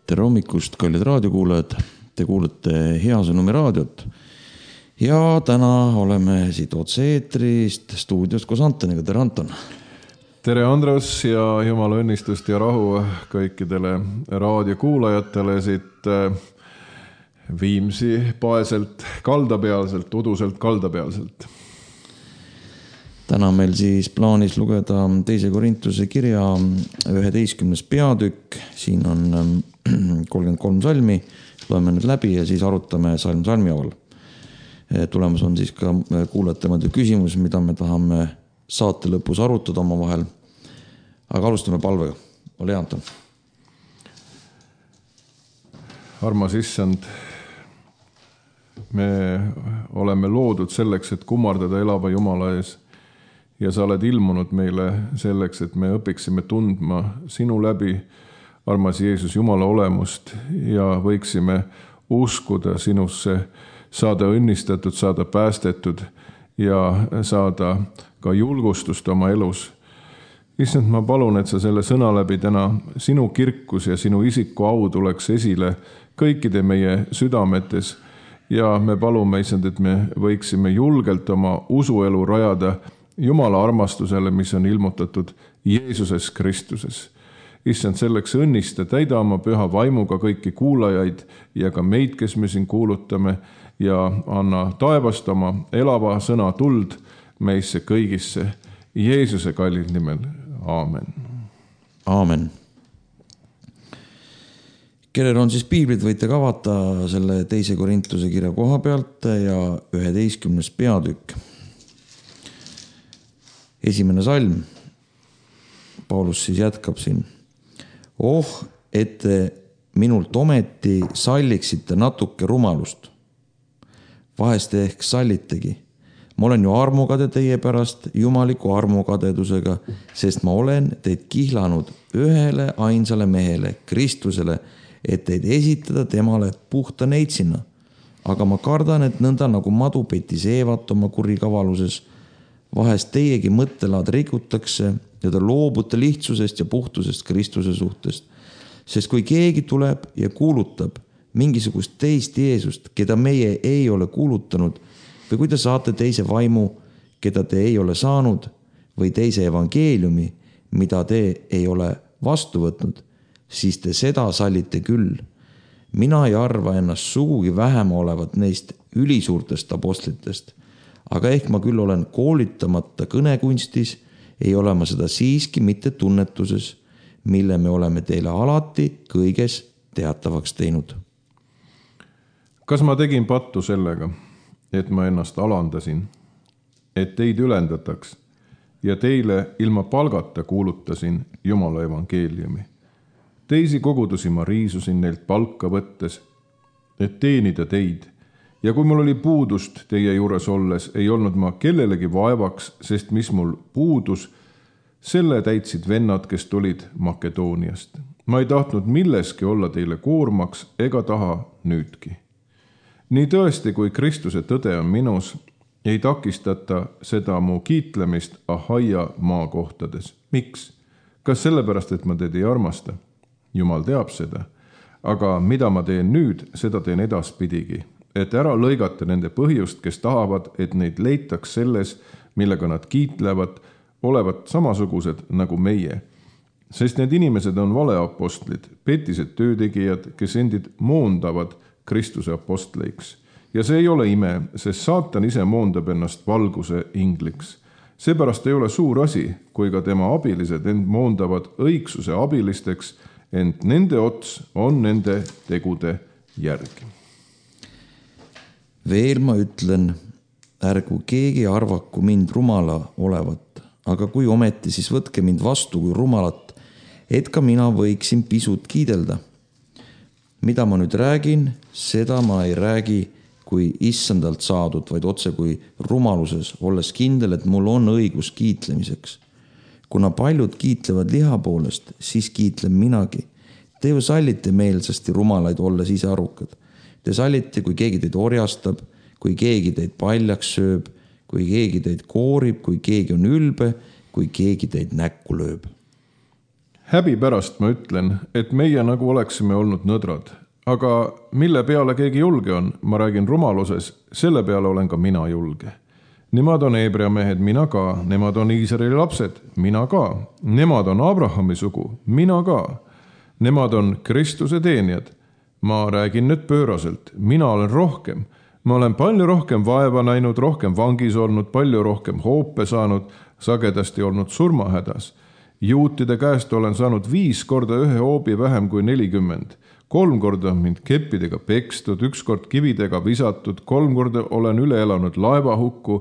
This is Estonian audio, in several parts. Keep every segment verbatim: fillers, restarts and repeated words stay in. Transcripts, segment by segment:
Tere hommikust, kallid raadiokuulajad. Te kuulete Hea Sõnumi raadiot. Ja täna oleme siit otse-eetrist stuudios koos Antoniga. Tere, Anton. Tere, Andres, ja jumala õnnistust ja rahu kõikidele raadiokuulajatele siit Viimsi paeselt kaldapealselt, uduselt kaldapealselt. Täna meil siis plaanis lugeda teise Korintuse kirja üheteistkümnes peatükk. Siin on kolmkümmend kolm salmi. Loeme nüüd läbi ja siis arutame salm salmi aval. Tulemus on siis ka kuulajate küsimus, mida me tahame saate lõpus arutada oma vahel. Aga alustame palvega. Ole hea, Anton. Armas issand, me oleme loodud selleks, et kummardada elava Jumala ees. Ja sa oled ilmunud meile selleks, et me õpiksime tundma sinu läbi, armas Jeesus, Jumala olemust ja võiksime uskuda sinusse, saada õnnistatud, saada päästetud ja saada ka julgustust oma elus. Issand, ma palun, et sa selle sõna läbi täna sinu kirkus ja sinu isiku au tuleks esile kõikide meie südametes ja me palume, issand, et me võiksime julgelt oma usuelu rajada Jumala armastusele, mis on ilmutatud Jeesuses Kristuses. Issand, selleks õnnista, täida oma püha vaimuga kõiki kuulajaid ja ka meid, kes me siin kuulutame ja anna taevast oma elava sõna tuld meisse kõigisse. Jeesuse kallid nimel. Aamen. Aamen. Kellel on siis piiblid, võite ka vaata selle teise Korintuse kirja koha pealt ja üheteistkümnes peatükk. Esimene salm. Paulus siis jätkab siin. Oh, et te minult ometi salliksite natuke rumalust. Vahest ehk sallitegi. Ma olen ju armukade teie pärast jumaliku armukadedusega, sest ma olen teid kihlanud ühele ainsale mehele, Kristusele, et teid esitada temale puhta neitsina. Aga ma kardan, et nõnda nagu madu petis Eevat oma kurikavaluses, vahest teiegi mõttelaad rikutakse ja ta loobute lihtsusest ja puhtusest Kristuse suhtest. Sest kui keegi tuleb ja kuulutab mingisugust teist Jeesust, keda meie ei ole kuulutanud, või kui te saate teise vaimu, keda te ei ole saanud, või teise evangeeliumi, mida te ei ole vastu võtnud, siis te seda sallite küll. Mina ei arva ennast sugugi vähem olevat neist ülisuurtest apostlitest, aga ehk ma küll olen koolitamata kõnekunstis, ei ole ma seda siiski mitte tunnetuses, mille me oleme teile alati kõiges teatavaks teinud. Kas ma tegin pattu sellega, et ma ennast alandasin, et teid ülendataks ja teile ilma palgata kuulutasin Jumala evangeeliumi? Teisi kogudusi ma riisusin neilt palka võttes, et teenida teid. Ja kui mul oli puudust teie juures olles, ei olnud ma kellelegi vaevaks, sest mis mul puudus, selle täitsid vennad, kes tulid Makedooniast. Ma ei tahtnud milleski olla teile koormaks ega taha nüüdki. Nii tõesti, kui Kristuse tõde on minus, ei takistata seda mu kiitlemist Ahaia maakohtades. Miks? Kas sellepärast, et ma teid ei armasta? Jumal teab seda. Aga mida ma teen nüüd, seda teen edaspidigi. Et ära lõigata nende põhjust, kes tahavad, et neid leitaks selles, millega nad kiitlevad, olevat samasugused nagu meie. Sest need inimesed on valeapostlid, petised töötegijad, kes endid moondavad Kristuse apostleiks. Ja see ei ole ime, sest saatan ise moondab ennast valguse ingliks. Seepärast ei ole suur asi, kui ka tema abilised end moondavad õigsuse abilisteks, ent nende ots on nende tegude järgi. Veel ma ütlen, ärgu keegi arvaku mind rumala olevat, aga kui ometi, siis võtke mind vastu kui rumalat, et ka mina võiksin pisut kiidelda. Mida ma nüüd räägin, seda ma ei räägi kui issandalt saadud, vaid otse kui rumaluses, olles kindel, et mul on õigus kiitlemiseks. Kuna paljud kiitlevad liha poolest, siis kiitlen minagi. Te ju sallite meelsasti rumalaid olles ise arukad. Te sallite, kui keegi teid orjastab, kui keegi teid paljaks sööb, kui keegi teid koorib, kui keegi on ülbe, kui keegi teid näkku lööb. häbi pärast ma ütlen, et meie nagu oleksime olnud nõdrad. Aga mille peale keegi julge on, ma räägin rumaluses, selle peale olen ka mina julge. Nemad on Hebrea mehed, mina ka. Nemad on Iisraeli lapsed, mina ka. Nemad on Abrahami sugu, mina ka. Nemad on Kristuse teenijad. Ma räägin nüüd pööraselt, mina olen rohkem. Ma olen palju rohkem vaeva näinud, rohkem vangis olnud, palju rohkem hoope saanud, sagedasti olnud surmahädas. Juutide käest olen saanud viis korda ühe hoobi vähem kui nelikümmend. Kolm korda on mind keppidega pekstud, üks kord kividega visatud, kolm korda olen üle elanud laevahukku,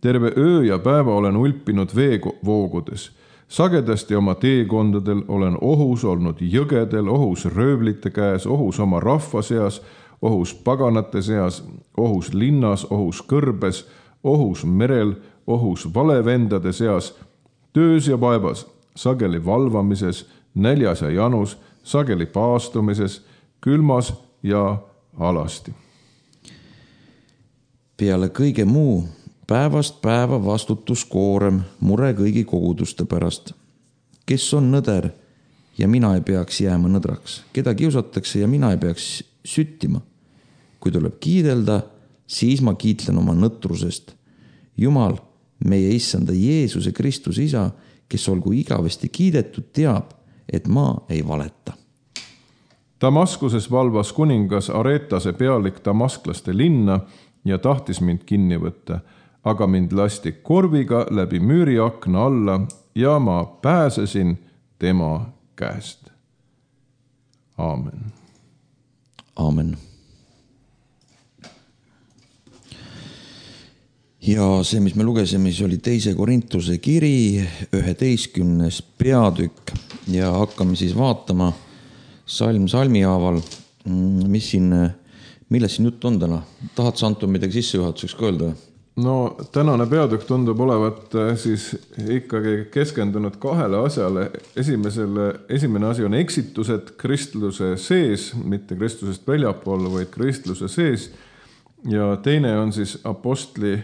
terve öö ja päeva olen ulpinud veevoogudes. Sagedasti oma teekondadel olen ohus olnud jõgedel, ohus röövlite käes, ohus oma rahva seas, ohus paganate seas, ohus linnas, ohus kõrbes, ohus merel, ohus valevendade seas, töös ja vaevas, sageli valvamises, näljas ja janus, sageli paastumises, külmas ja alasti. Peale kõige muu päevast päeva vastutuskoorem, mure kõigi koguduste pärast. Kes on nõder ja mina ei peaks jääma nõdraks, keda kiusatakse ja mina ei peaks süttima. Kui tuleb kiidelda, siis ma kiitlen oma nõtrusest. Jumal, meie issanda Jeesuse Kristus isa, kes olgu igavesti kiidetud, teab, et ma ei valeta. Damaskuses valvas kuningas Aretase pealik damasklaste linna ja tahtis mind kinni võtta, aga mind lasti korviga läbi müüriakna alla ja ma pääsesin tema käest. Aamen. Aamen. Ja see, mis me lugesime, siis oli teise Korintuse kiri, üheteistkümnes peatükk ja hakkame siis vaatama salm salmi haaval, mis siin, milles siin jutt on täna? Tahad sa, Anton, midagi sissejuhatuseks ka öelda? No tänane peatükk tundub olevat siis ikkagi keskendunud kahele asjale. Esimesele, esimene asi on eksitused kristluse sees, mitte kristlusest väljapool, vaid kristluse sees. Ja teine on siis apostli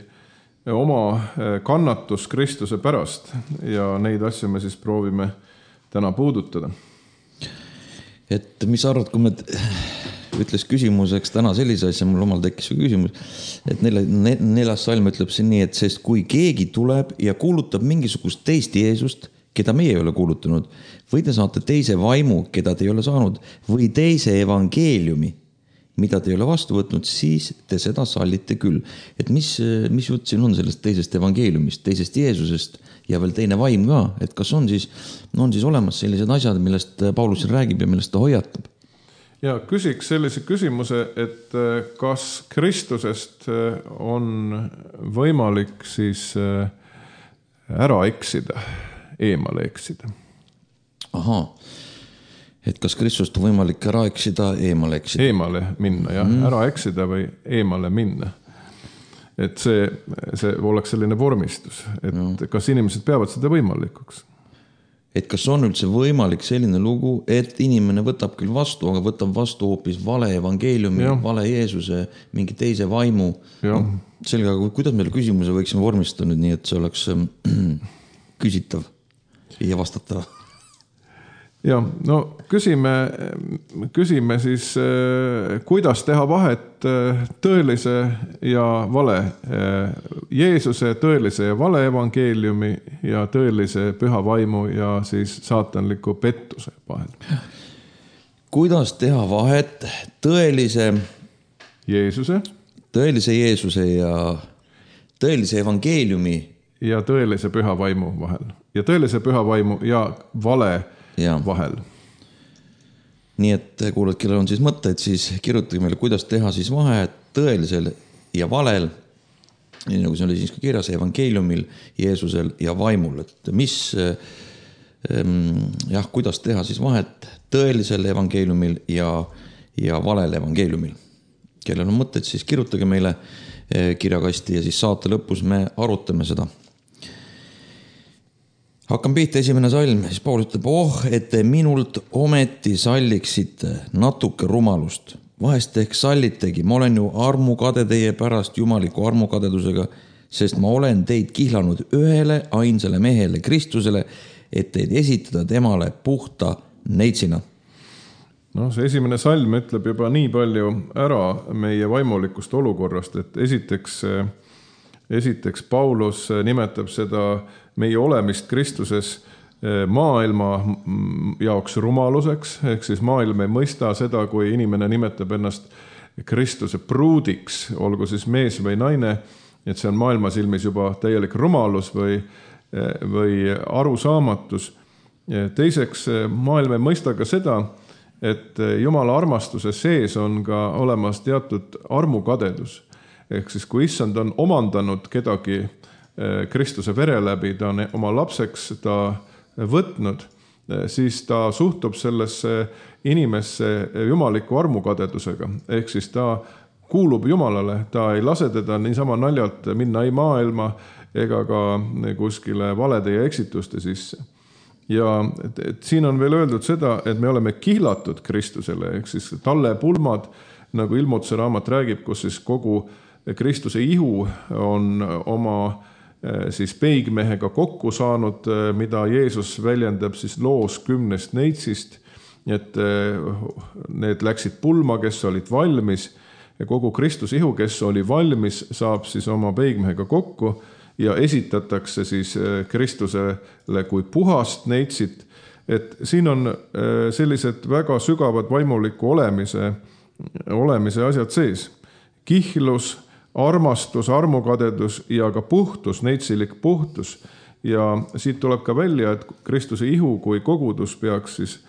oma kannatus Kristuse pärast ja neid asju me siis proovime täna puudutada. Et mis arvad, kui me ütles küsimuseks täna sellise asja, mul omal tekkis küsimus, et neljas salm ütleb siin nii, et sest kui keegi tuleb ja kuulutab mingisugust teist Jeesust, keda meie ei ole kuulutanud, või te saate teise vaimu, keda te ei ole saanud, või teise evangeeliumi, mida te ei ole vastu võtnud, siis te seda sallite küll. Et mis, mis jutt siin on sellest teisest evangeeliumist, teisest Jeesusest ja veel teine vaim ka, et kas on siis, no on siis olemas sellised asjad, millest Paulus räägib ja millest ta hoiatab? Ja küsiks sellise küsimuse, et kas Kristusest on võimalik siis ära eksida, eemale eksida? Ahaa. Et kas Kristust on võimalik ära eksida, eemale eksida? Eemale minna, jah. Mm. Ära eksida või eemale minna. Et see, see oleks selline vormistus. Et no. Kas inimesed peavad seda võimalikuks? Et kas on üldse võimalik selline lugu, et inimene võtab küll vastu, aga võtab vastu hoopis vale evangeeliumi, ja. Vale Jeesuse, mingi teise vaimu. No, sellega, kuidas meile küsimuse võiksime vormistada nüüd nii, et see oleks küsitav ja vastatav? Ja, no küsime, küsime siis, kuidas teha vahet tõelise ja vale, Jeesuse tõelise ja vale evangeeliumi ja tõelise püha vaimu ja siis saatanliku pettuse vahel. Kuidas teha vahet tõelise Jeesuse, tõelise Jeesuse ja tõelise evangeeliumi ja tõelise püha vaimu vahel ja tõelise püha vaimu ja vale ja. Vahel. Nii et kuulad, kellel on siis mõtteid, siis kirjutage meile, kuidas teha siis vahet tõelisel ja valel, nii nagu see oli siis ka kirjas, evangeeliumil, Jeesusel ja vaimul, et mis, jah, kuidas teha siis vahet tõelisel evangeeliumil ja, ja valel evangeeliumil. Kellel on mõtteid, siis kirjutage meile kirjakasti ja siis saate lõpus me arutame seda. Hakkan pihta esimene salm, siis Paulus ütleb, oh, et te minult ometi salliksite natuke rumalust. Vahest ehk sallitegi, ma olen ju armukade teie pärast jumaliku armukadedusega, sest ma olen teid kihlanud ühele ainsale mehele, Kristusele, et teid esitada temale puhta neitsina. No see esimene salm ütleb juba nii palju ära meie vaimulikust olukorrast, et esiteks, esiteks Paulus nimetab seda meie olemist Kristuses maailma jaoks rumaluseks, ehk siis maailm ei mõista seda, kui inimene nimetab ennast Kristuse pruudiks, olgu siis mees või naine, et see on maailma silmis juba täielik rumalus või, või arusaamatus. Teiseks, maailm ei mõista ka seda, et Jumala armastuse sees on ka olemas teatud armukadedus. Ehk siis kui issand on omandanud kedagi Kristuse vere läbi, ta on oma lapseks ta võtnud, siis ta suhtub sellesse inimesse jumaliku armukadedusega. Ehk siis ta kuulub Jumalale, ta ei lase teda niisama naljalt minna ei maailma ega ka kuskile valede ja eksituste sisse. Ja et, et siin on veel öeldud seda, et me oleme kihlatud Kristusele, ehk siis talle pulmad, nagu Ilmutuse raamat räägib, kus siis kogu Kristuse ihu on oma siis peigmehega kokku saanud, mida Jeesus väljendab siis loos kümnest neitsist, et need läksid pulma, kes olid valmis, ja kogu Kristuse ihu, kes oli valmis, saab siis oma peigmehega kokku ja esitatakse siis Kristusele kui puhast neitsit. Et siin on sellised väga sügavad vaimuliku olemise, olemise asjad sees. Kihlus, armastus, armukadedus ja ka puhtus, neitsilik puhtus. Ja siit tuleb ka välja, et Kristuse ihu kui kogudus peaks siis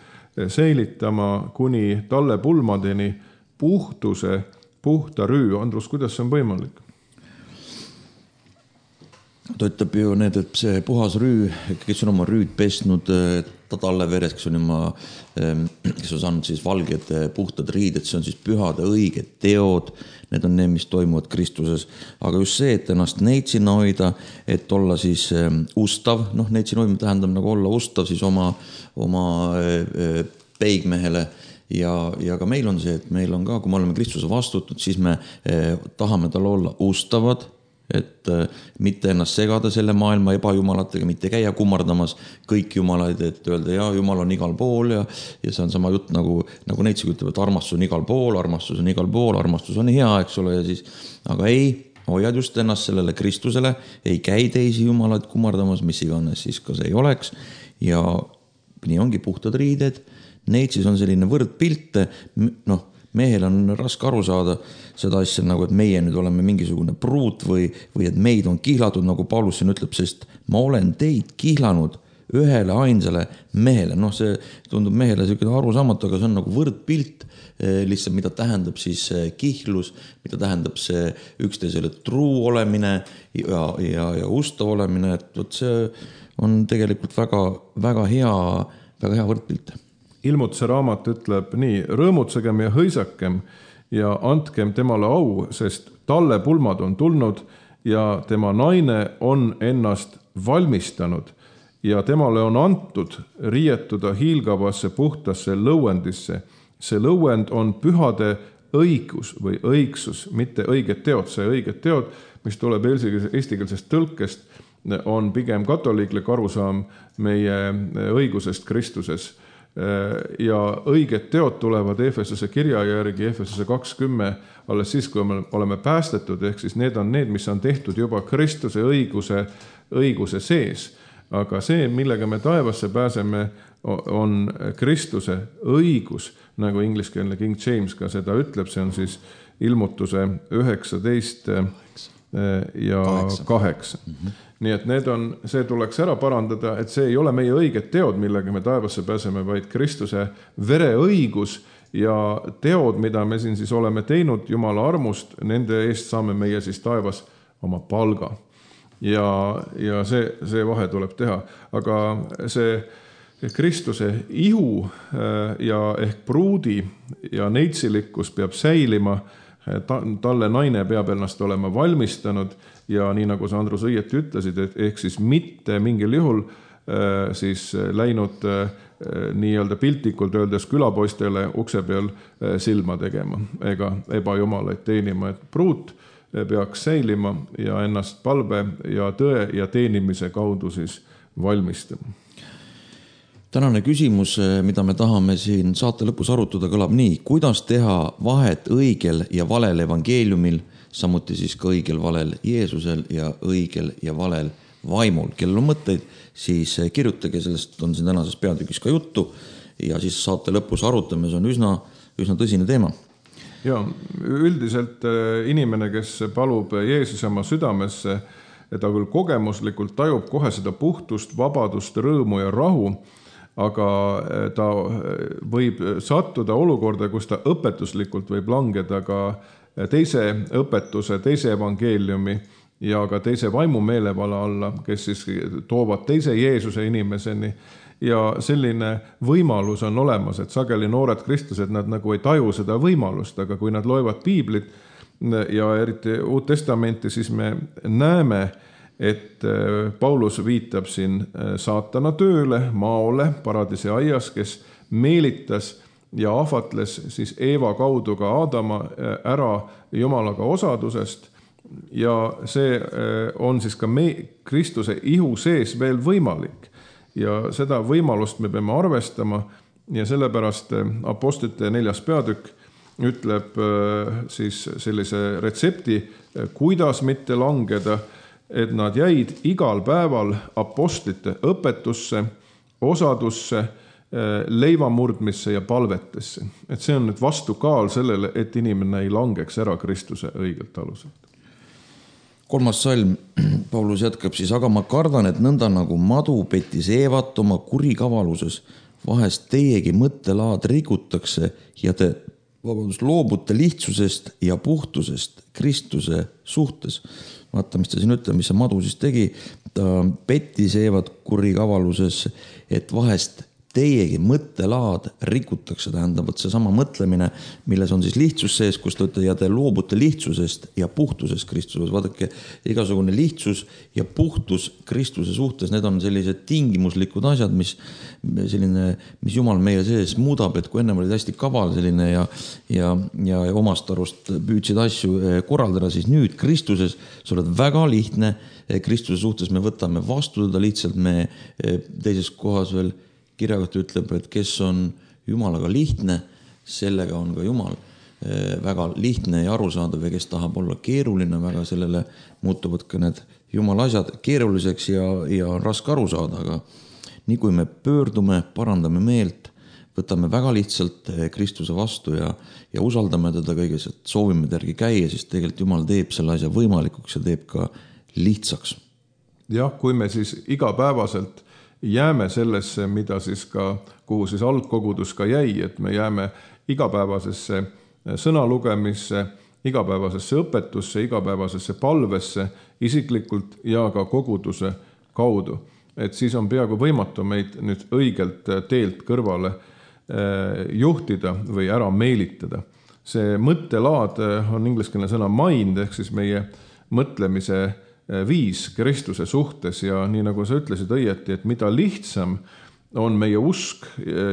säilitama kuni talle pulmadeni puhtuse, puhta rüü. Andrus, kuidas see on võimalik? Ta ütleb ju need, et see puhas rüü, kes on oma rüüd pesnud ta talle veres, kes on, oma, kes on saanud siis valged puhtad riided, see on siis pühade õiged teod, need on need, mis toimuvad Kristuses. Aga just see, et ennast neitsina hoida, et olla siis ustav, noh neitsina hoidma tähendab nagu olla ustav siis oma, oma peigmehele. Ja, ja ka meil on see, et meil on ka, kui me oleme Kristuse vastutanud, siis me eh, tahame tal olla ustavad, et eh, mitte ennast segada selle maailma ebajumalatega, mitte käia kummardamas kõik jumalaid, et öelda, ja jumal on igal pool ja, ja see on sama jutt nagu, nagu neitsik ütleb, et armastus on igal pool, armastus on igal pool, armastus on hea, eks ole, ja siis, aga ei, hoiad just ennast sellele Kristusele, ei käi teisi jumalaid kummardamas, mis iganes siis ka see ei oleks, ja nii ongi puhtad riided. Neitsis on selline võrdpilt, noh, mehel on raske aru saada seda asja nagu, et meie nüüd oleme mingisugune pruut või, või et meid on kihlatud, nagu Paulus siin ütleb, sest ma olen teid kihlanud ühele ainsale mehele. Noh, see tundub mehele selline arusaamatu, aga see on nagu võrdpilt lihtsalt, mida tähendab siis kihlus, mida tähendab see üksteisele truu olemine ja, ja, ja ustav olemine, et võt see on tegelikult väga, väga hea, väga hea võrdpilt. Ilmutuse raamat ütleb nii, rõõmutsegem ja hõisakem ja andkem temale au, sest talle pulmad on tulnud ja tema naine on ennast valmistanud ja temale on antud riietuda hiilgavasse puhtasse lõuendisse. See lõuend on pühade õigus või õigsus, mitte õiged teod. See õiged teod, mis tuleb eestikeelsest tõlkest, on pigem katoliiklik arusaam meie õigusest Kristuses. Ja õiged teod tulevad Efesuse kirja järgi, Efesuse kakskümmend, alles siis, kui me oleme päästetud, ehk siis need on need, mis on tehtud juba Kristuse õiguse, õiguse sees. Aga see, millega me taevasse pääseme, on Kristuse õigus, nagu ingliskeelne King James ka seda ütleb, see on siis ilmutuse üheksateist ja kaheksa. Mm-hmm. Nii et need on, see tuleks ära parandada, et see ei ole meie õiged teod, millega me taevasse pääseme, vaid Kristuse vereõigus ja teod, mida me siin siis oleme teinud Jumala armust, nende eest saame meie siis taevas oma palga. Ja, ja see, see vahe tuleb teha. Aga see Kristuse ihu ja ehk pruudi ja neitsillikkus peab säilima, talle naine peab ennast olema valmistanud ja nii nagu sa, Andrus, õieti ütlesid, et ehk siis mitte mingil juhul äh, siis läinud äh, nii-öelda piltlikult öeldes külapoistele ukse peal äh, silma tegema ega ebajumalaid teenima, et pruut peaks säilima ja ennast palve ja tõe ja teenimise kaudu siis valmistama. tänane küsimus, mida me tahame siin saate lõpus arutada, kõlab nii. Kuidas teha vahet õigel ja valel evangeeliumil, samuti siis ka õigel valel Jeesusel ja õigel ja valel vaimul? Kellel on mõtteid, siis kirjutage, sellest on siin tänases peatükis ka juttu ja siis saate lõpus arutame, see on üsna, üsna tõsine teema. Ja üldiselt inimene, kes palub Jeesuse oma südamesse, ta küll kogemuslikult tajub kohe seda puhtust, vabadust, rõõmu ja rahu, aga ta võib sattuda olukorda, kus ta õpetuslikult võib langeda ka teise õpetuse, teise evangeeliumi ja ka teise vaimu meelevala alla, kes siis toovad teise Jeesuse inimeseni. Ja selline võimalus on olemas, et sageli noored kristlased, nad nagu ei taju seda võimalust, aga kui nad loevad piiblit ja eriti Uut Testamenti, siis me näeme, et Paulus viitab siin saatana tööle, maole, paradiisi aias, kes meelitas ja ahvatles siis Eeva kaudu ka Aadama ära Jumalaga osadusest ja see on siis ka me, Kristuse ihu sees veel võimalik. Ja seda võimalust me peame arvestama ja sellepärast apostlite neljas peatükk ütleb siis sellise retsepti, kuidas mitte langeda, et nad jäid igal päeval apostlite õpetusse, osadusse, leivamurdmisse ja palvetesse. Et see on nüüd vastukaal sellele, et inimene ei langeks ära Kristuse õigelt aluselt. Kolmas salm, Paulus jätkab siis, aga ma kardan, et nõnda nagu madu petis Eevat oma kurikavaluses, vahest teiegi mõttelaad rikutakse ja te vabandust, loobute lihtsusest ja puhtusest Kristuse suhtes. Vaata, mis ta siin ütleb, mis see madu siis tegi, ta petis Eevat kurikavaluses, et vahest teiegi mõttelaad rikutakse, tähendab, et see sama mõtlemine, milles on siis lihtsus sees, kus te ütlete, ja te loobute lihtsusest ja puhtusest Kristuses. Vaadake, igasugune lihtsus ja puhtus Kristuse suhtes, need on sellised tingimuslikud asjad, mis, selline, mis Jumal meie sees muudab, et kui ennem olid hästi kaval selline ja, ja, ja omast arust püüdsid asju korraldada, siis nüüd Kristuses sa oled väga lihtne. Kristuse suhtes me võtame vastu teda lihtsalt, me teises kohas veel kirjakoht ütleb, et kes on Jumalaga lihtne, sellega on ka Jumal väga lihtne ja arusaadav ja kes tahab olla keeruline, väga sellele muutuvad ka need Jumala asjad keeruliseks ja, ja on raske aru saada, aga nii kui me pöördume, parandame meelt, võtame väga lihtsalt Kristuse vastu ja, ja usaldame teda kõiges, et soovime tergi käia, siis tegelikult Jumal teeb selle asja võimalikuks ja teeb ka lihtsaks. Jah, kui me siis igapäevaselt jääme sellesse, mida siis ka, kuhu siis algkogudus ka jäi, et me jääme igapäevasesse sõnalugemisse, igapäevasesse õpetusse, igapäevasesse palvesse, isiklikult ja ka koguduse kaudu. Et siis on peaaegu võimatu meid nüüd õigelt teelt kõrvale juhtida või ära meelitada. See mõttelaad on ingliskeelne sõna mind, ehk siis meie mõtlemise viis Kristuse suhtes ja nii nagu sa ütlesid õieti, et mida lihtsam on meie usk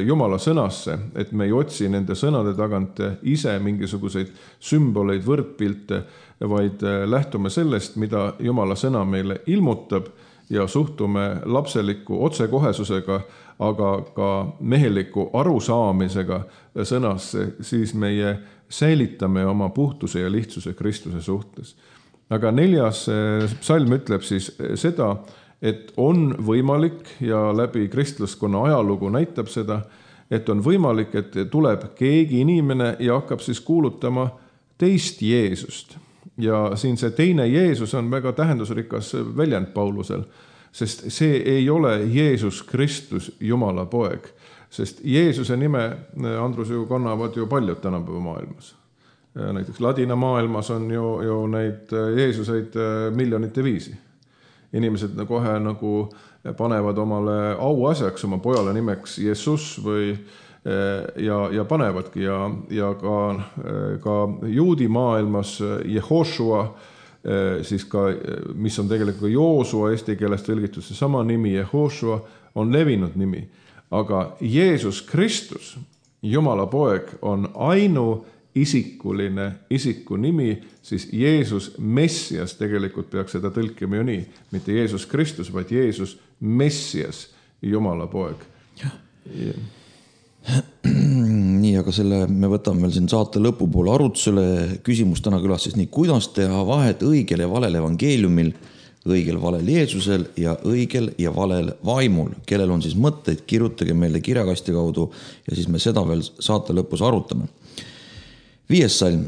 Jumala sõnasse, et me ei otsi nende sõnade tagant ise mingisuguseid sümboleid, võrdpilte, vaid lähtume sellest, mida Jumala sõna meile ilmutab ja suhtume lapseliku otsekohesusega, aga ka meheliku arusaamisega sõnasse, siis meie säilitame oma puhtuse ja lihtsuse Kristuse suhtes. Aga neljas psalm ütleb siis seda, et on võimalik ja läbi kristlaskonna ajalugu näitab seda, et on võimalik, et tuleb keegi inimene ja hakkab siis kuulutama teist Jeesust. Ja siin see teine Jeesus on väga tähendusrikas väljend Paulusel, sest see ei ole Jeesus Kristus, Jumala poeg. Sest Jeesuse nime, Andrus, ju kannavad ju paljud tänapäeva maailmas. Näiteks ladina maailmas on ju, ju neid Jeesuseid miljonite viisi. Inimesed kohe nagu panevad omale auasjaks oma pojale nimeks Jesus või, ja, ja panevadki ja, ja ka, ka juudi maailmas Jehoshua, siis ka, mis on tegelikult Joosua eesti keeles tõlgitud, see sama nimi Jehoshua on levinud nimi. Aga Jeesus Kristus, Jumala poeg, on ainu isikuline isiku nimi, siis Jeesus Messias, tegelikult peaks seda tõlkima ju nii, mitte Jeesus Kristus, vaid Jeesus Messias, Jumala poeg. nii, aga selle me võtame veel siin saate lõpupoole arutusele. Küsimus täna külas siis nii, kuidas teha vahet õigel ja valel evangeeliumil, õigel valel Jeesusel ja õigel ja valel vaimul. Kellel on siis mõtteid, kirjutage meile kirjakasti kaudu ja siis me seda veel saate lõpus arutame. Viies salm.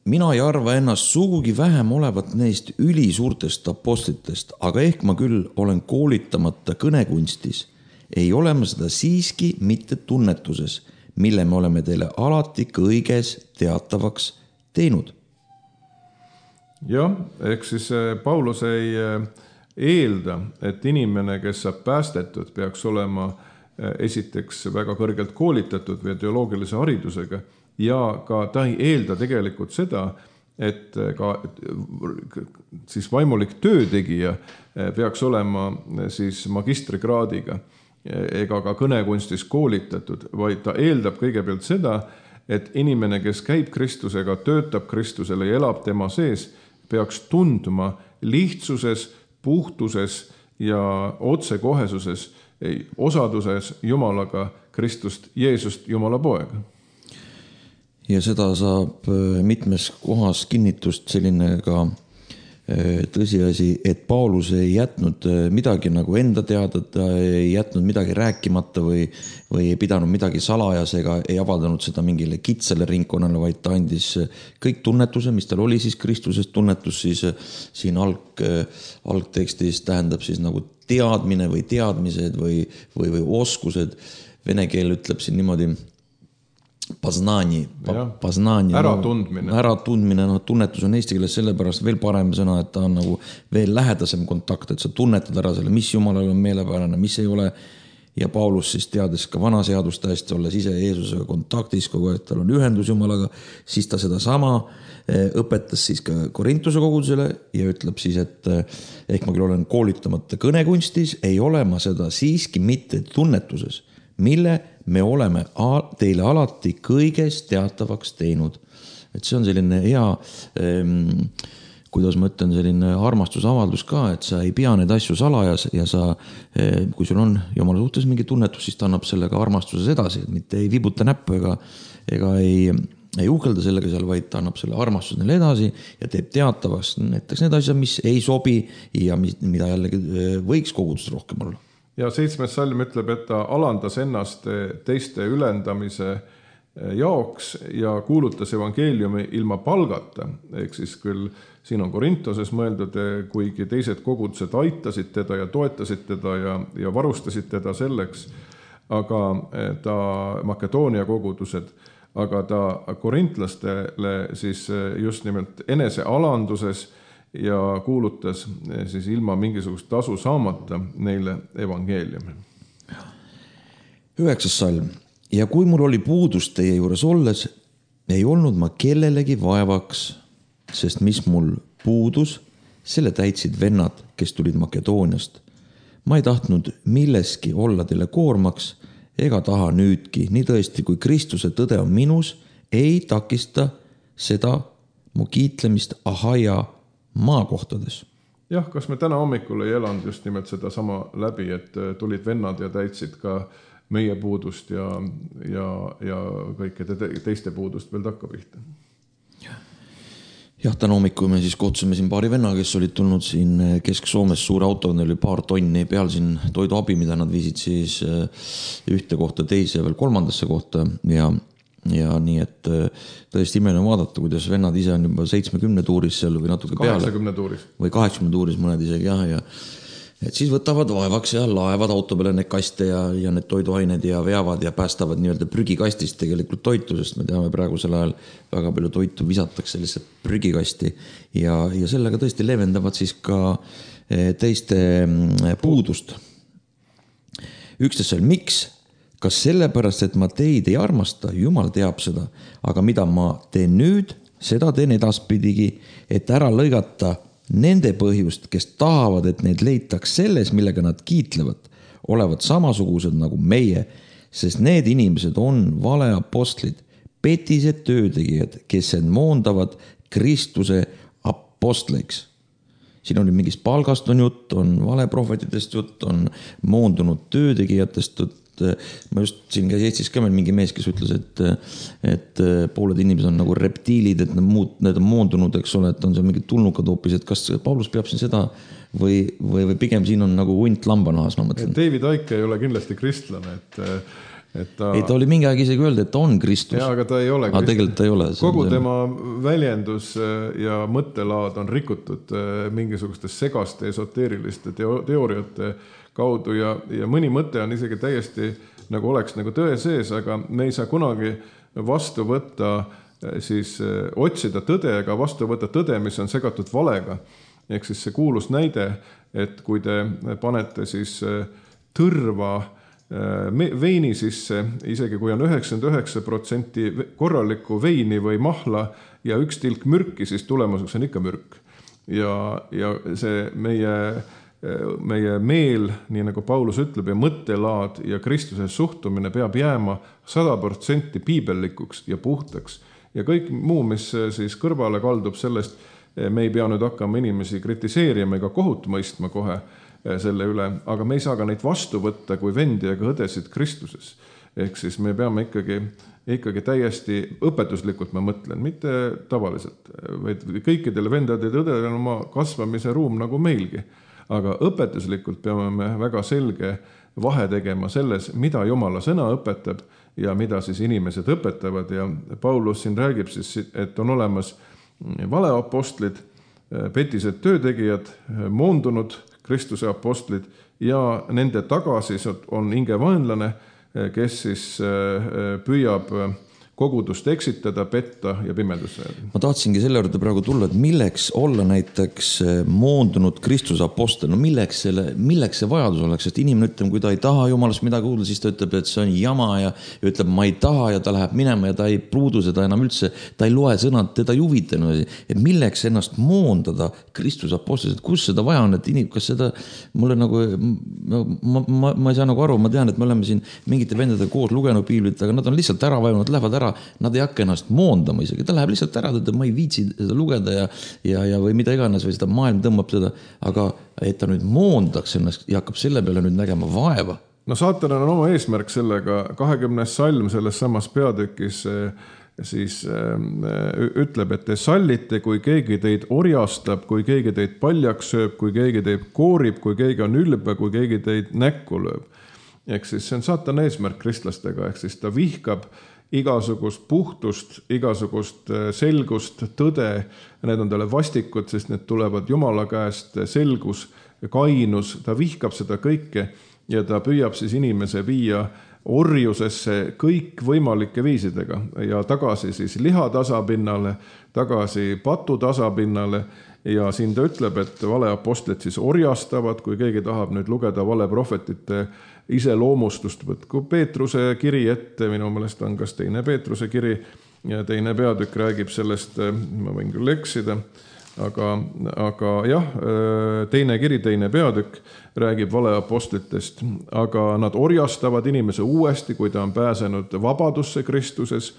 Mina ei arva ennast sugugi vähem olevat neist ülisuurtest apostlitest, aga ehk ma küll olen koolitamata kõnekunstis. Ei ole ma seda siiski mitte tunnetuses, mille me oleme teile alati kõiges teatavaks teinud. Jah, ehk siis Paulus ei eelda, et inimene, kes saab päästetud, peaks olema esiteks väga kõrgelt koolitatud või teoloogilise haridusega ja ka ta ei eelda tegelikult seda, et ka siis vaimulik töötegija peaks olema siis magistrikraadiga ega ka kõnekunstis koolitatud, vaid ta eeldab kõigepealt seda, et inimene, kes käib Kristusega, töötab Kristusele ja elab tema sees, peaks tundma lihtsuses, puhtuses ja otsekohesuses, osaduses Jumalaga Kristust, Jeesust, Jumala poega. Ja seda saab mitmes kohas kinnitust selline ka tõsiasi, et Paulus ei jätnud midagi nagu enda teada, ta ei jätnud midagi rääkimata või, või ei pidanud midagi salajas ega ei avaldanud seda mingile kitsale ringkonnale, vaid ta andis kõik tunnetuse, mis tal oli siis Kristusest tunnetus, siis siin alg, algtekstis tähendab siis nagu teadmine või teadmised või, või, või oskused. Vene keel ütleb siin niimoodi Paznani, paznani, äratundmine. No, äratundmine, no tunnetus on eesti keeles sellepärast veel parem sõna, et ta on nagu veel lähedasem kontakt, et sa tunnetad ära selle, mis Jumalal on meelepärane, mis ei ole. Ja Paulus siis teades ka vana seadust hästi, olles ise Jeesusega kontaktis, kogu aeg tal on ühendus Jumalaga, siis ta seda sama õpetas siis ka Korintuse kogudusele ja ütleb siis, et ehk ma küll olen koolitamata kõnekunstis, ei ole ma seda siiski mitte tunnetuses, mille me oleme teile alati kõiges teatavaks teinud. Et see on selline hea, kuidas ma ütlen, selline armastusavaldus ka, et sa ei pea neid asju salajas ja sa, kui sul on Jumala suhtes mingi tunnetus, siis ta annab sellega armastuses edasi, et mitte ei vibuta näppu ega, ega ei, ei uhkelda sellega seal, vaid ta annab selle armastuse neile edasi ja teeb teatavaks näiteks need asjad, mis ei sobi ja mis, mida jällegi võiks kogudust rohkem olla. Ja seitsmes salm ütleb, et ta alandas ennast teiste ülendamise jaoks ja kuulutas evangeeliumi ilma palgata. Ehk siis küll siin on Korintoses mõeldud, kuigi teised kogudused aitasid teda ja toetasid teda ja, ja varustasid teda selleks, aga ta Makedoonia kogudused, aga ta korintlastele siis just nimelt enese alanduses ja kuulutas siis ilma mingisugust tasu saamata neile evangeeliumi. Üheksas salm. Ja kui mul oli puudus teie juures olles, ei olnud ma kellelegi vaevaks, sest mis mul puudus, selle täitsid vennad, kes tulid Makedooniast. Ma ei tahtnud milleski olla teile koormaks ega taha nüüdki. Nii tõesti, kui Kristuse tõde on minus, ei takista seda mu kiitlemist Ahaia maakohtades. Jah, kas me täna hommikul ei elanud just nimelt seda sama läbi, et tulid vennad ja täitsid ka meie puudust ja, ja, ja kõikide teiste puudust veel takkapihta. Jah, täna hommikul me siis kohtusime siin paari venna, kes olid tulnud siin Kesk-Soomes suure auto, oli paar tonni peal siin toiduabi, mida nad viisid siis ühte kohta teise ja veel kolmandasse kohta ja ja nii, et tõesti imeline vaadata, kuidas vennad ise on juba seitsmekümne tuuris seal või natuke peale. kaheksakümne tuuris. Või kaheksakümne tuuris mõned isegi, jah, ja et siis võtavad vaevaks ja laevad auto peale need kaste ja, ja need toiduained ja veavad ja päästavad nii-öelda prügikastist tegelikult toitu, sest me teame praegusel ajal väga palju toitu visatakse lihtsalt prügikasti ja, ja sellega tõesti leevendavad siis ka teiste puudust. Üksteisel, miks? Kas sellepärast, et ma teid ei armasta, Jumal teab seda, aga mida ma teen nüüd, seda teen edaspidigi, et ära lõigata nende põhjust, kes tahavad, et neid leitaks selles, millega nad kiitlevad, olevat samasugused nagu meie, sest need inimesed on valeapostlid, petised töötegijad, kes end moondavad Kristuse apostleiks. Siin on mingist palgast on jutt, on valeprohvetidest jutt, on moondunud töötegijatest jutt, ma just siin käis Eestis ka meil mingi mees, kes ütles, et, et pooled inimesed on nagu reptiilid, et need, muud, need on moondunud, eks ole, et on seal mingid tulnukad hoopis, et kas Paulus peab siin seda või, või, või pigem siin on nagu hunt lambanahas, ma mõtlen. David Icke ei ole kindlasti kristlane, et et ta... ei, ta oli mingi aeg isegi öelda, et ta on Kristus. Jaa, aga ta ei ole Kristus. Tegelikult ta ei ole. Kogu tema väljendus ja mõttelaad on rikutud mingisugustes segaste esoteeriliste teooriate kaudu ja, ja mõni mõte on isegi täiesti nagu oleks nagu tõe sees, aga me ei saa kunagi vastu võtta, siis otsida tõde, aga vastu võtta tõde, mis on segatud valega. Ehk siis see kuulus näide, et kui te panete siis tõrva veini sisse, isegi kui on üheksakümmend üheksa protsenti korralikku veini või mahla ja üks tilk mürki, siis tulemuseks on ikka mürk. Ja, ja see meie, meie meel, nii nagu Paulus ütleb, ja mõttelaad ja Kristuse suhtumine peab jääma sada protsenti piibellikuks ja puhtaks. Ja kõik muu, mis siis kõrvale kaldub sellest, me ei pea nüüd hakkama inimesi kritiseerima ega kohut mõistma kohe selle üle, aga me ei saa ka neid vastu võtta kui vendi ega õdesid Kristuses. Ehk siis me peame ikkagi, ikkagi täiesti õpetuslikult, ma mõtlen, mitte tavaliselt, vaid kõikidele vendade ja õdedele on oma kasvamise ruum nagu meilgi. Aga õpetuslikult peame me väga selge vahe tegema selles, mida Jumala sõna õpetab ja mida siis inimesed õpetavad. Ja Paulus siin räägib siis, et on olemas valeapostlid, petised töötegijad, moondunud Kristuse apostlid ja nende tagasis on hingevaenlane, kes siis püüab kogudust eksitada, petta ja pimedusse. Ma tahtsingi selle juurde praegu tulla, et milleks olla näiteks moondunud Kristuse apostel, no milleks, selle, milleks see vajadus oleks, sest inimene ütleb, kui ta ei taha Jumalast midagi kuulda, siis ta ütleb, et see on jama ja ütleb, ma ei taha ja ta läheb minema ja ta ei pruudu seda enam üldse, ta ei loe sõnad, teda ei huvita. Et milleks ennast moondada Kristuse apostel, et kus seda vaja on, et inim, kas seda, mulle nagu, ma, ma, ma ei saa nagu aru, ma tean, et me oleme siin mingite vendadega koos lugenud piiblit, aga nad on lihtsalt ära vajunud, lähevad ära. Nad ei hakka ennast moondama isegi, ta läheb lihtsalt ära, et ma ei viitsi seda lugeda ja, ja, ja või mida iganes või seda maailm tõmbab seda, aga et ta nüüd moondaks ennast ja hakkab selle peale nüüd nägema vaeva. No saatanal on oma eesmärk sellega, kahekümnes salm selles samas peatükis siis ütleb, et te sallite, kui keegi teid orjastab, kui keegi teid paljaks sööb, kui keegi teid koorib, kui keegi on ülbe, kui keegi teid näkku lööb. Ehk siis see on saatana eesmärk kristlastega, ehk siis ta vihkab igasugust puhtust, igasugust selgust, tõde, need on talle vastikud, sest need tulevad Jumala käest, selgus, kainus, ta vihkab seda kõike ja ta püüab siis inimese viia orjusesse kõik võimalike viisidega ja tagasi siis liha tasapinnale, tagasi patu tasapinnale ja siin ta ütleb, et valeapostlid siis orjastavad, kui keegi tahab nüüd lugeda valeprohvetite iseloomustust, võtku Peetruse kiri ette, minu meelest on kas teine Peetruse kiri ja teine peatükk räägib sellest, ma võin küll eksida, aga, aga jah, teine kiri, teine peatükk räägib valeapostlitest, aga nad orjastavad inimese uuesti, kui ta on pääsenud vabadusse Kristuses.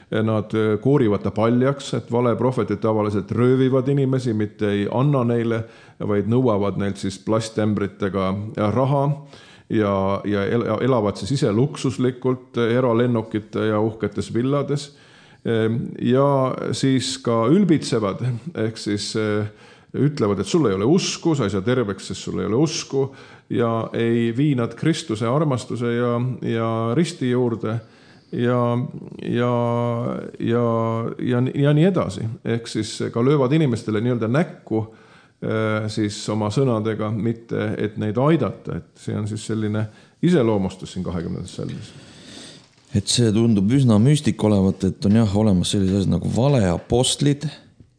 Nad koorivad ta paljaks, et valeprohvetid tavaliselt röövivad inimesi, mitte ei anna neile, vaid nõuavad neilt siis plasttämbritega raha ja, ja elavad siis ise luksuslikult eralennukite ja uhketes villades ja siis ka ülbitsevad, ehk siis ütlevad, et sul ei ole usku, sa ei saa terveks, sest sul ei ole usku ja ei vii nad Kristuse armastuse ja, ja risti juurde ja, ja, ja, ja, ja nii edasi. Ehk siis ka löövad inimestele nii-öelda näkku siis oma sõnadega, mitte et neid aidata, et see on siis selline iseloomustus siin kahekümnendas salmis. Et see tundub üsna müstik olevat, et on jah olemas sellised asjad nagu valeapostlid,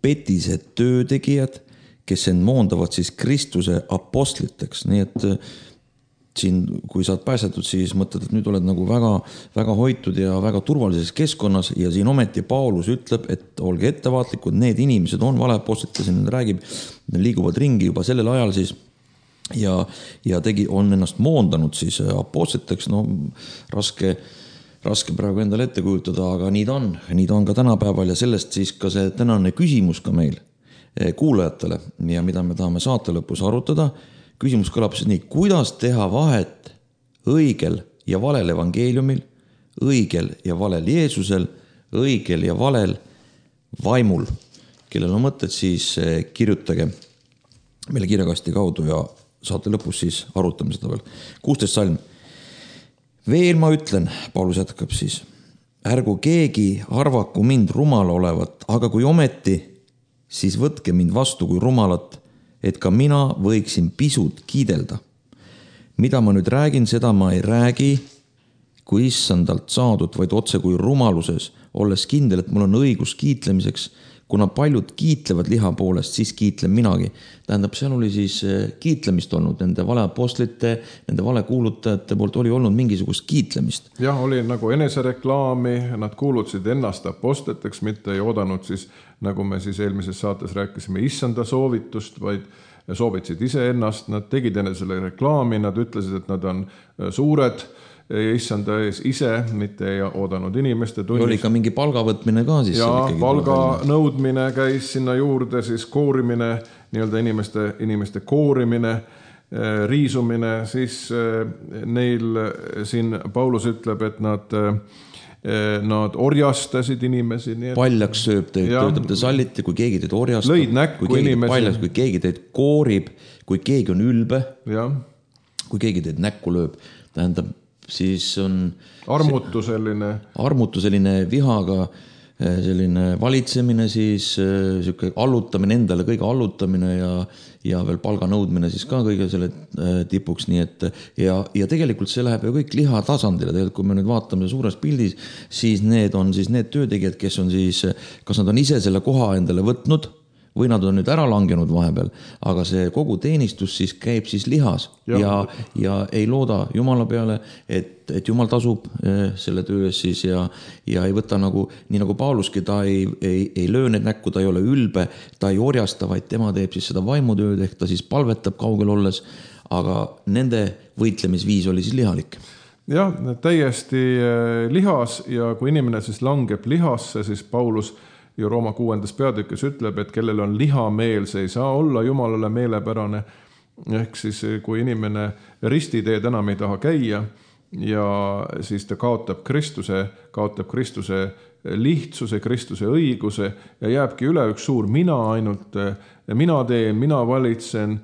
petised töötegijad, kes end moondavad siis Kristuse apostliteks, nii et siin, kui saad pääsetud, siis mõtled, et nüüd oled nagu väga, väga hoitud ja väga turvalises keskkonnas ja siin ometi Paulus ütleb, et olge ettevaatlikud, need inimesed on valeapostlid, kes siin räägib, liiguvad ringi juba sellel ajal siis ja, ja tegi, on ennast moondanud siis apostliteks, no raske, raske praegu endale ette kujutada, aga nii ta on, nii ta on ka tänapäeval ja sellest siis ka see tänane küsimus ka meil kuulajatele ja mida me tahame saate lõpus arutada. Küsimus kõlab siis nii, kuidas teha vahet õigel ja valel evangeeliumil, õigel ja valel Jeesusel, õigel ja valel vaimul. Kellel on mõtted, siis kirjutage meile kirjakasti kaudu ja saate lõpus siis arutame seda veel. kuusteist salm. Veel ma ütlen, Paulus jätkab siis, ärgu keegi arvaku mind rumala olevat, aga kui ometi, siis võtke mind vastu kui rumalat, et ka mina võiksin pisut kiidelda. Mida ma nüüd räägin, seda ma ei räägi kui issandalt saadud, vaid otse kui rumaluses, olles kindel, et mul on õigus kiitlemiseks, kuna paljud kiitlevad liha poolest, siis kiitlen minagi. Tähendab, seal oli siis kiitlemist olnud, nende valeapostlite, nende valekuulutajate poolt oli olnud mingisugust kiitlemist. Jah, oli nagu enesereklaami, nad kuulutasid ennast apostliteks, mitte ei oodanud siis, nagu me siis eelmises saates rääkisime, issanda soovitust, vaid soovitasid ise ennast, nad tegid enne selle reklaami, nad ütlesid, et nad on suured, issanda ees ise, mitte ei oodanud inimeste tunnist. Oli ka mingi palgavõtmine ka siis. Ja palga nõudmine käis sinna juurde, siis koorimine, nii-öelda inimeste, inimeste koorimine, riisumine, siis neil siin Paulus ütleb, et nad, nad orjastasid inimesi. Nii et... Paljaks sööb teid, töötab te salliti, kui keegi teid orjastab. Lõid näkku kui inimesi. Paljaks, kui keegi teid koorib, kui keegi on ülbe, ja. Kui keegi teid näkku lööb, tähendab, siis on armutu selline armutu selline vihaga selline valitsemine, siis selline allutamine endale, kõige allutamine ja, ja veel palga nõudmine siis ka kõige selle tipuks, nii et ja, ja tegelikult see läheb ju kõik liha tasandile, tegelikult kui me nüüd vaatame suures pildis, siis need on siis need töötegijad, kes on siis, kas nad on ise selle koha endale võtnud või nad on nüüd ära langenud vahepeal, aga see kogu teenistus siis käib siis lihas ja, ja, ja ei looda Jumala peale, et, et Jumal tasub selle töö ees siis ja, ja ei võta nagu, nii nagu Pauluski, ta ei, ei, ei löö need näkku, ta ei ole ülbe, ta ei orjasta, vaid tema teeb siis seda vaimutööd, ehk ta siis palvetab kaugel olles, aga nende võitlemisviis oli siis lihalik. Jah, täiesti lihas ja kui inimene siis langeb lihasse, siis Paulus ja Rooma kuuendas peatükis ütleb, et kellel on lihameel, see ei saa olla Jumalale meelepärane. Ehk siis kui inimene ristiteed enam ei taha käia ja siis ta kaotab Kristuse, kaotab Kristuse lihtsuse, Kristuse õiguse ja jääbki üle üks suur mina ainult, mina teen, mina valitsen,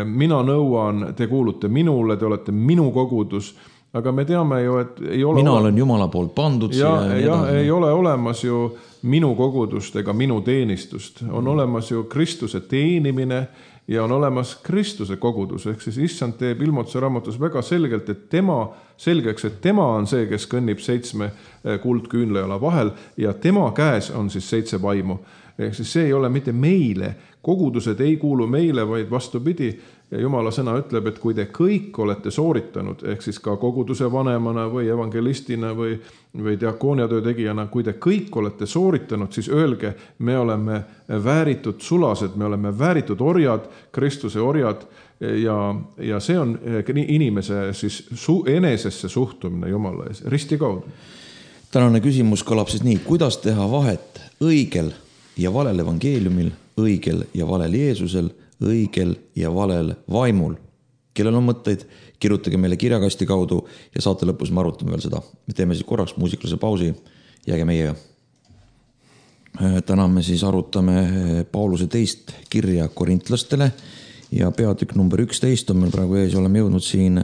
mina nõuan, te kuulute minule, te olete minu kogudus. Aga me teame ju, et ei ole... Mina olen Jumala poolt pandud. Ja, ja ei ole olemas ju minu kogudust ega minu teenistust. On olemas ju Kristuse teenimine ja on olemas Kristuse kogudus. Ehk siis issand teeb ilmutuse raamatus väga selgelt, et tema, selgeks, et tema on see, kes kõnnib seitsme kuldküünlejala vahel ja tema käes on siis seitse vaimu. Ehk siis see ei ole mitte meile. Kogudused ei kuulu meile, vaid vastupidi. Ja Jumala sõna ütleb, et kui te kõik olete sooritanud, ehk siis ka koguduse vanemana või evangelistina või, või diakooniatöö tegijana, kui te kõik olete sooritanud, siis öelge, me oleme vääritud sulased, me oleme vääritud orjad, Kristuse orjad ja, ja see on inimese siis su, enesesse suhtumine Jumala ees, risti kaudu. Tänane küsimus kõlab siis nii, kuidas teha vahet õigel ja valel evangeeliumil, õigel ja valel Jeesusel, õigel ja valel vaimul. Kellel on mõtteid, kirjutage meile kirjakasti kaudu ja saate lõpus me arutame veel seda. Me teeme siis korraks muusikalise pausi, jääge meiega. Täna me siis arutame Pauluse teist kirja korintlastele ja peatükk number üksteist on meil praegu ees, oleme jõudnud siin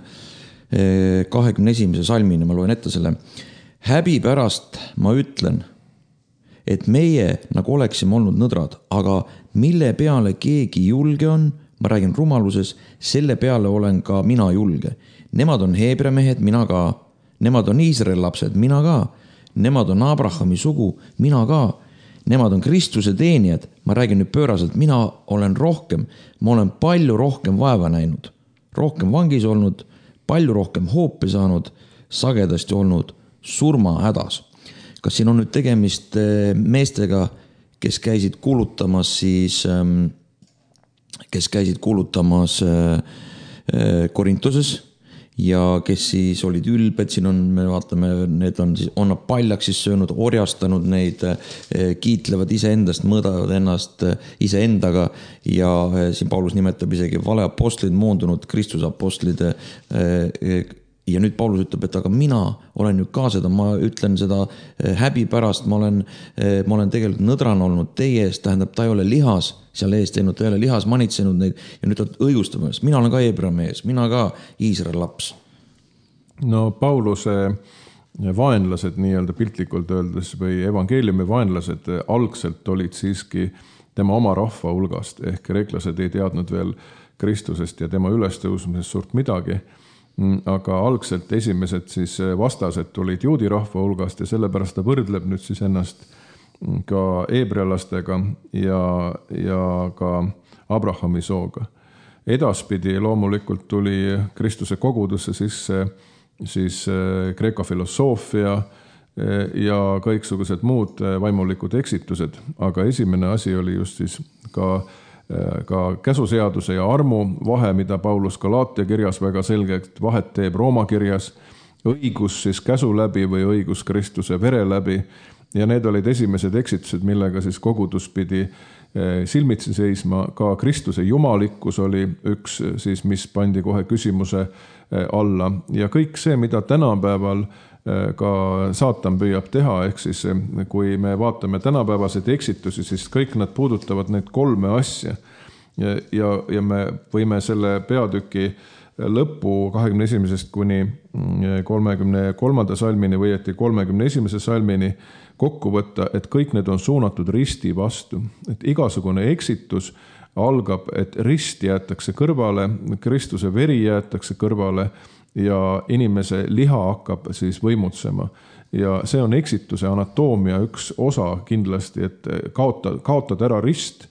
kahekümne esimese salmini, ma loen ette selle. Häbi pärast ma ütlen, et meie nagu oleksime olnud nõdrad, aga mille peale keegi julge on, ma räägin rumaluses, selle peale olen ka mina julge. Nemad on Heebrea mehed, mina ka. Nemad on Iisraeli lapsed, mina ka. Nemad on Abrahami sugu, mina ka. Nemad on Kristuse teenijad, ma räägin nüüd pööraselt, mina olen rohkem, ma olen palju rohkem vaeva näinud, rohkem vangis olnud, palju rohkem hoopi saanud, sagedasti olnud surma hädas. Kas siin on nüüd tegemist meestega, kes käisid kuulutamas siis, kes käisid kuulutamas Korintoses ja kes siis olid ülbed, siin on, me vaatame, need on siis, on nad paljaks siis söönud, orjastanud neid, kiitlevad iseendast, mõõdavad ennast iseendaga ja siin Paulus nimetab isegi valeapostlid, moondunud Kristuse apostlid ja nüüd Paulus ütleb, et aga mina olen ju ka seda, ma ütlen seda häbi pärast, ma olen, ma olen tegelikult nõdran olnud teie eest, tähendab, ta ei ole lihas seal ees teinud, ta ei ole lihas manitsenud neid ja nüüd ta õigustab ennast, mina olen ka Hebra mees, mina ka Iisraeli laps. No Pauluse vaenlased nii-öelda piltlikult öeldes või evangeeliumi vaenlased algselt olid siiski tema oma rahva hulgast, ehk kreeklased ei teadnud veel Kristusest ja tema ülestõusmisest suurt midagi, aga algselt esimesed siis vastased tulid juudi rahva hulgast ja sellepärast ta võrdleb nüüd siis ennast ka heebrealastega ja, ja ka Abrahami sooga. Edaspidi loomulikult tuli Kristuse kogudusse sisse siis kreeka filosoofia ja kõiksugused muud vaimulikud eksitused, aga esimene asi oli just siis ka ka käsuseaduse ja armu vahe, mida Paulus Galaatia kirjas väga selgelt vahet teeb Rooma kirjas, õigus siis käsu läbi või õigus Kristuse vere läbi ja need olid esimesed eksitused, millega siis kogudus pidi silmitsi seisma, ka Kristuse jumalikkus oli üks siis, mis pandi kohe küsimuse alla ja kõik see, mida tänapäeval ka saatan püüab teha, ehk siis kui me vaatame tänapäevaseid eksitusi, siis kõik nad puudutavad neid kolme asja ja, ja, ja me võime selle peatüki lõppu kahekümne esimesest kuni kolmekümne kolmanda salmini või et kolmekümne esimese salmini kokku võtta, et kõik need on suunatud risti vastu, et igasugune eksitus algab, et rist jäetakse kõrvale, Kristuse veri jäetakse kõrvale ja inimese liha hakkab siis võimutsema. Ja see on eksituse anatoomia üks osa kindlasti, et kaota, kaotada ära rist,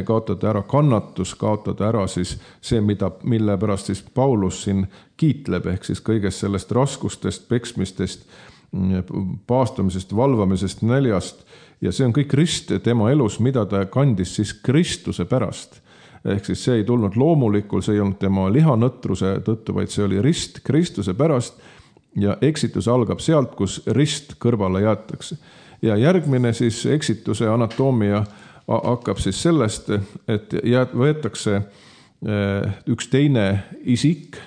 kaotada ära kannatus, kaotada ära siis see, mida, mille pärast siis Paulus siin kiitleb, ehk siis kõigest sellest raskustest, peksmistest, paastumisest, valvamisest, näljast. Ja see on kõik rist tema elus, mida ta kandis siis Kristuse pärast. Ehk siis see ei tulnud loomulikul, see ei olnud tema lihanõtruse tõttu, vaid see oli rist Kristuse pärast ja eksitus algab sealt, kus rist kõrvale jäetakse. Ja järgmine siis eksituse anatoomia hakkab siis sellest, et võetakse üks teine isik,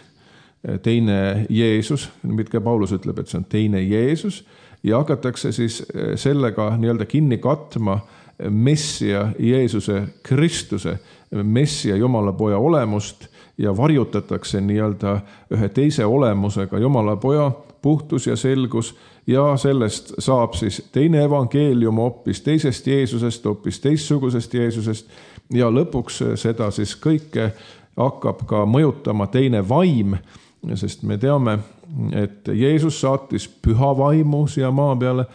teine Jeesus, mida Paulus ütleb, et see on teine Jeesus ja hakatakse siis sellega nii-öelda kinni katma Messia Jeesuse Kristuse, Messia Jumala poja olemust ja varjutatakse nii-öelda ühe teise olemusega Jumala poja puhtus ja selgus ja sellest saab siis teine evangeelium hoopis teisest Jeesusest, hoopis teistsugusest Jeesusest ja lõpuks seda siis kõike hakkab ka mõjutama teine vaim, sest me teame, et Jeesus saatis püha vaimu siia maa peale.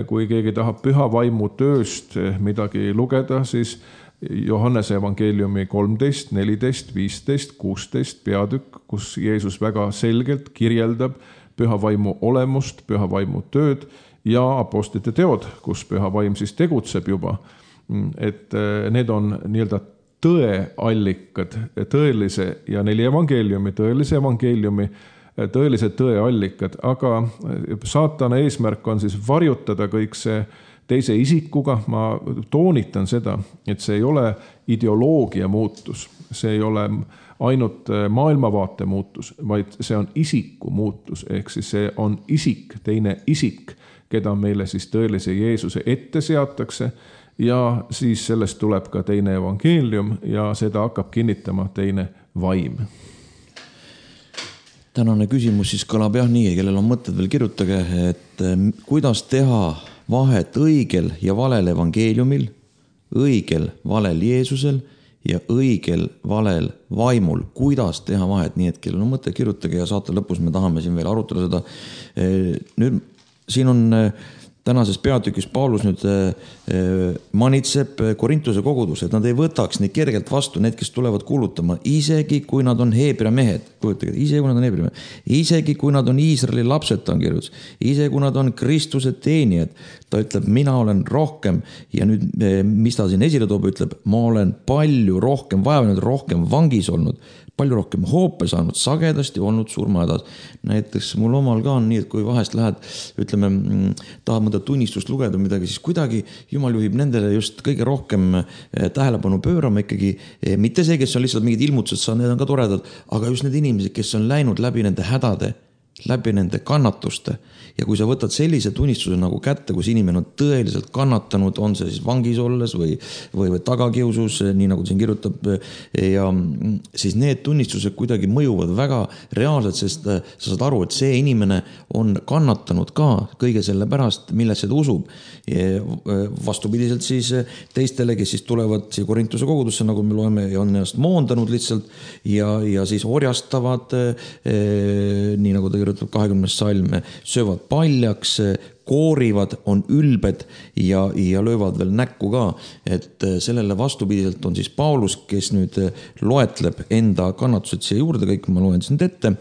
Kui keegi tahab püha vaimu tööst midagi lugeda, siis Johannese evangeeliumi kolmteist, neliteist, viisteist, kuusteist peatükk, kus Jeesus väga selgelt kirjeldab püha vaimu olemust, püha vaimu tööd ja apostlite teod, kus püha vaim siis tegutseb juba. Et need on nii-öelda tõeallikad, tõelise ja neli evangeeliumi, tõelise evangeeliumi, tõelised tõeallikad, aga saatana eesmärk on siis varjutada kõik see teise isikuga. Ma toonitan seda, et see ei ole ideoloogia muutus, see ei ole ainult maailmavaate muutus, vaid see on isiku muutus, ehk siis see on isik, teine isik, keda meile siis tõelise Jeesuse ette seatakse ja siis sellest tuleb ka teine evangeelium ja seda hakkab kinnitama teine vaim. Tänane küsimus siis kõlab jah nii, kellel on mõtted veel kirjutage, et kuidas teha vahet õigel ja valel evangeeliumil, õigel valel Jeesusel ja õigel valel vaimul. Kuidas teha vahet, nii et kellel on mõtted kirjutage ja saate lõpus me tahame siin veel arutada seda. Nüüd siin on tänases peatükis Paulus nüüd manitseb Korintuse kogudus, et nad ei võtaks nii kergelt vastu need, kes tulevad kuulutama, isegi kui nad on Heebrea mehed, kujutage, isegi kui nad on Heebrea mehed, isegi kui nad on Iisraeli lapsed, ta on kirjutus, isegi kui nad on Kristuse teenijad, ta ütleb, mina olen rohkem ja nüüd, mis ta siin esile toob, ütleb, ma olen palju rohkem vaevanud, rohkem vangis olnud, palju rohkem hoope saanud, sagedasti olnud surmahädas. Näiteks mul omal ka on nii, et kui vahest lähed, ütleme, tahad mõnda tunnistust lugeda midagi, siis kuidagi Jumal juhib nendele just kõige rohkem tähelepanu pöörama ikkagi, mitte see, kes on lihtsalt mingid ilmutused saanud, need on ka toredad, aga just need inimesed, kes on läinud läbi nende hädade, läbi nende kannatuste. Ja kui sa võtad sellise tunnistuse nagu kätte, kus inimene on tõeliselt kannatanud, on see siis vangis olles või, või, või tagakiusus, nii nagu siin kirjutab, ja siis need tunnistused kuidagi mõjuvad väga reaalselt, sest sa saad aru, et see inimene on kannatanud ka kõige selle pärast, millesse ta usub. Vastupidiselt siis teistele, kes siis tulevad siia Korintuse kogudusse, nagu me loeme, ja on ennast moondanud lihtsalt ja, ja siis orjastavad, nii nagu ta kirjutab kahekümnes salm, söövad paljaks, koorivad, on ülbed ja, ja löövad veel näkku ka. Et sellele vastupidiselt on siis Paulus, kes nüüd loetleb enda kannatused siia juurde, kõik ma loen siin ette.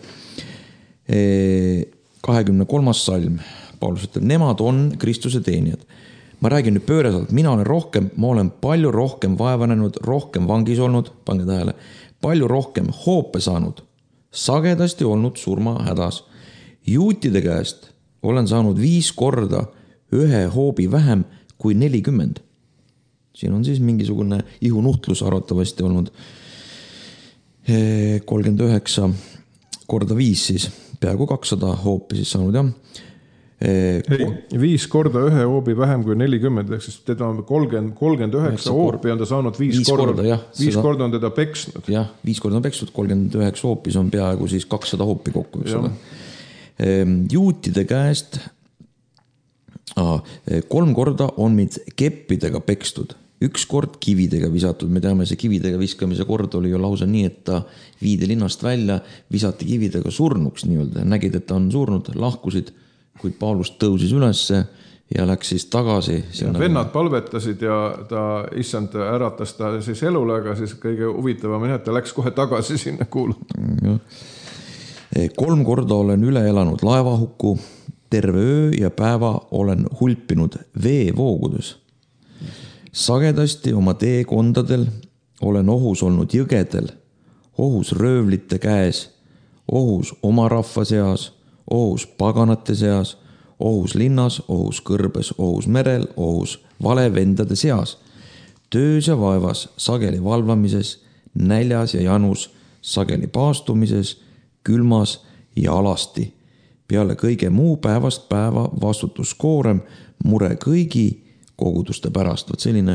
kahekümne kolmas salm, Paulus ütleb, nemad on Kristuse teenijad. Ma räägin nüüd pööreselt, mina olen rohkem, ma olen palju rohkem vaevanenud, rohkem vangis olnud, pange tähele, palju rohkem hoope saanud, sagedasti olnud surma hädas. Juutide käest olen saanud viis korda ühe hoobi vähem kui nelikümmend. Siin on siis mingisugune ihunuhtlus arvatavasti olnud kolmkümmend üheksa korda viis siis, peaaegu kakssada hoopi siis saanud, jah. Ei, viis korda ühe hoobi vähem kui nelikümmend, ehk siis teda on kolmkümmend, kolmkümmend üheksa hoopi on ta saanud viis, viis korda, korda, jah, viis seda, korda on teda peksnud. Jah, viis korda on peksnud, kolmkümmend üheksa hoopis on peaaegu siis kakssada hoopi kokku, eks ole. Juutide käest ah, kolm korda on mind keppidega pekstud, üks kord kividega visatud. Me teame, see kividega viskamise kord oli ju lausa nii, et ta viidi linnast välja, visati kividega surnuks nii-öelda. Nägid, et ta on surnud, lahkusid, kuid Paulus tõusis ülesse ja läks siis tagasi. Ja vennad palvetasid ja ta issand äratas ta siis elule, aga siis kõige huvitavam on, et ta läks kohe tagasi sinna kuulutama. Kolm korda olen üle elanud laevahukku, terve öö ja päeva olen hulpinud veevoogudes. Sagedasti oma teekondadel olen ohus olnud jõgedel, ohus röövlite käes, ohus oma rahva seas, ohus paganate seas, ohus linnas, ohus kõrbes, ohus merel, ohus valevendade seas, töös ja vaevas, sageli valvamises, näljas ja janus, sageli paastumises, külmas ja alasti. Peale kõige muu päevast päeva vastutuskoorem, mure kõigi koguduste pärast. Võt selline,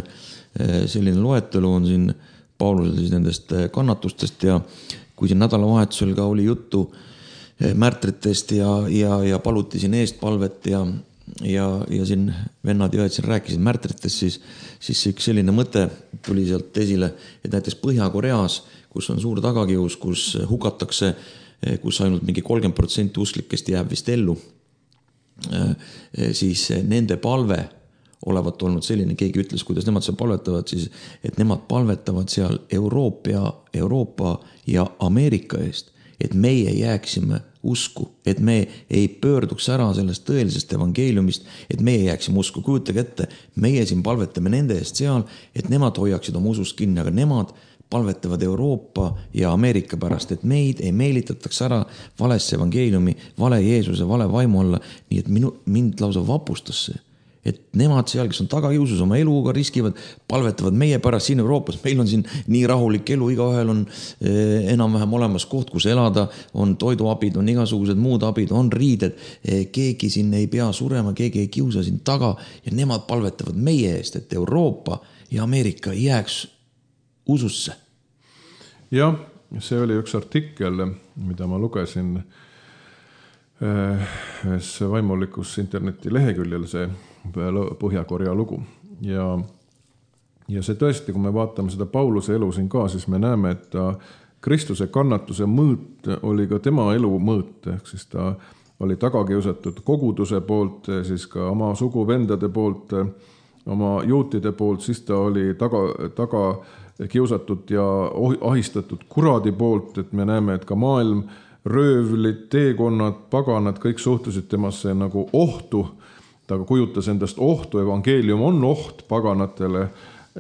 selline loetelu on siin Paulusel siis nendest kannatustest ja kui siin nädalavahetusel ka oli juttu märtritest ja, ja, ja paluti siin eest palvet ja, ja, ja siin vennad ja õed siin rääkisid märtritest, siis, siis üks selline mõte tuli sealt esile, et näiteks Põhja-Koreas, kus on suur tagakius, kus hukatakse kus ainult mingi kolmkümmend protsenti usklikest jääb vist ellu, siis nende palve olevat olnud selline, keegi ütles, kuidas nemad seal palvetavad, siis, et nemad palvetavad seal Euroopa, Euroopa ja Ameerika eest, et meie jääksime usku, et me ei pöörduks ära sellest tõelisest evangeeliumist, et meie jääksime usku. Kujutage ette, meie siin palvetame nende eest seal, et nemad hoiaksid oma usust kinni, aga nemad palvetavad Euroopa ja Ameerika pärast, et meid ei meelitataks ära valesse evangeeliumi, vale Jeesuse, vale vaimu alla, nii et minu, mind lausa vapustas see. Et nemad seal, kes on tagakiusus oma eluga riskivad, palvetavad meie pärast siin Euroopas. Meil on siin nii rahulik elu, igaühel on eh, enam-vähem olemas koht, kus elada, on toiduabid, on igasugused muud abid, on riided, eh, keegi siin ei pea surema, keegi ei kiusa siin taga ja nemad palvetavad meie eest, et Euroopa ja Ameerika jääks ususse. Jah, see oli üks artikkel, mida ma lugesin ühes vaimulikus interneti leheküljel, see Põhja-Korea lugu. Ja, ja see tõesti, kui me vaatame seda Pauluse elu siin ka, siis me näeme, et ta Kristuse kannatuse mõõt oli ka tema elu mõõt, ehk siis ta oli tagakiusatud koguduse poolt, siis ka oma suguvendade poolt, oma juutide poolt, siis ta oli taga, taga kiusatud ja ahistatud kuradi poolt, et me näeme, et ka maailm, röövlid, teekonnad, paganad, kõik suhtusid temasse nagu ohtu. Ta kujutas endast ohtu, evangeelium on oht paganatele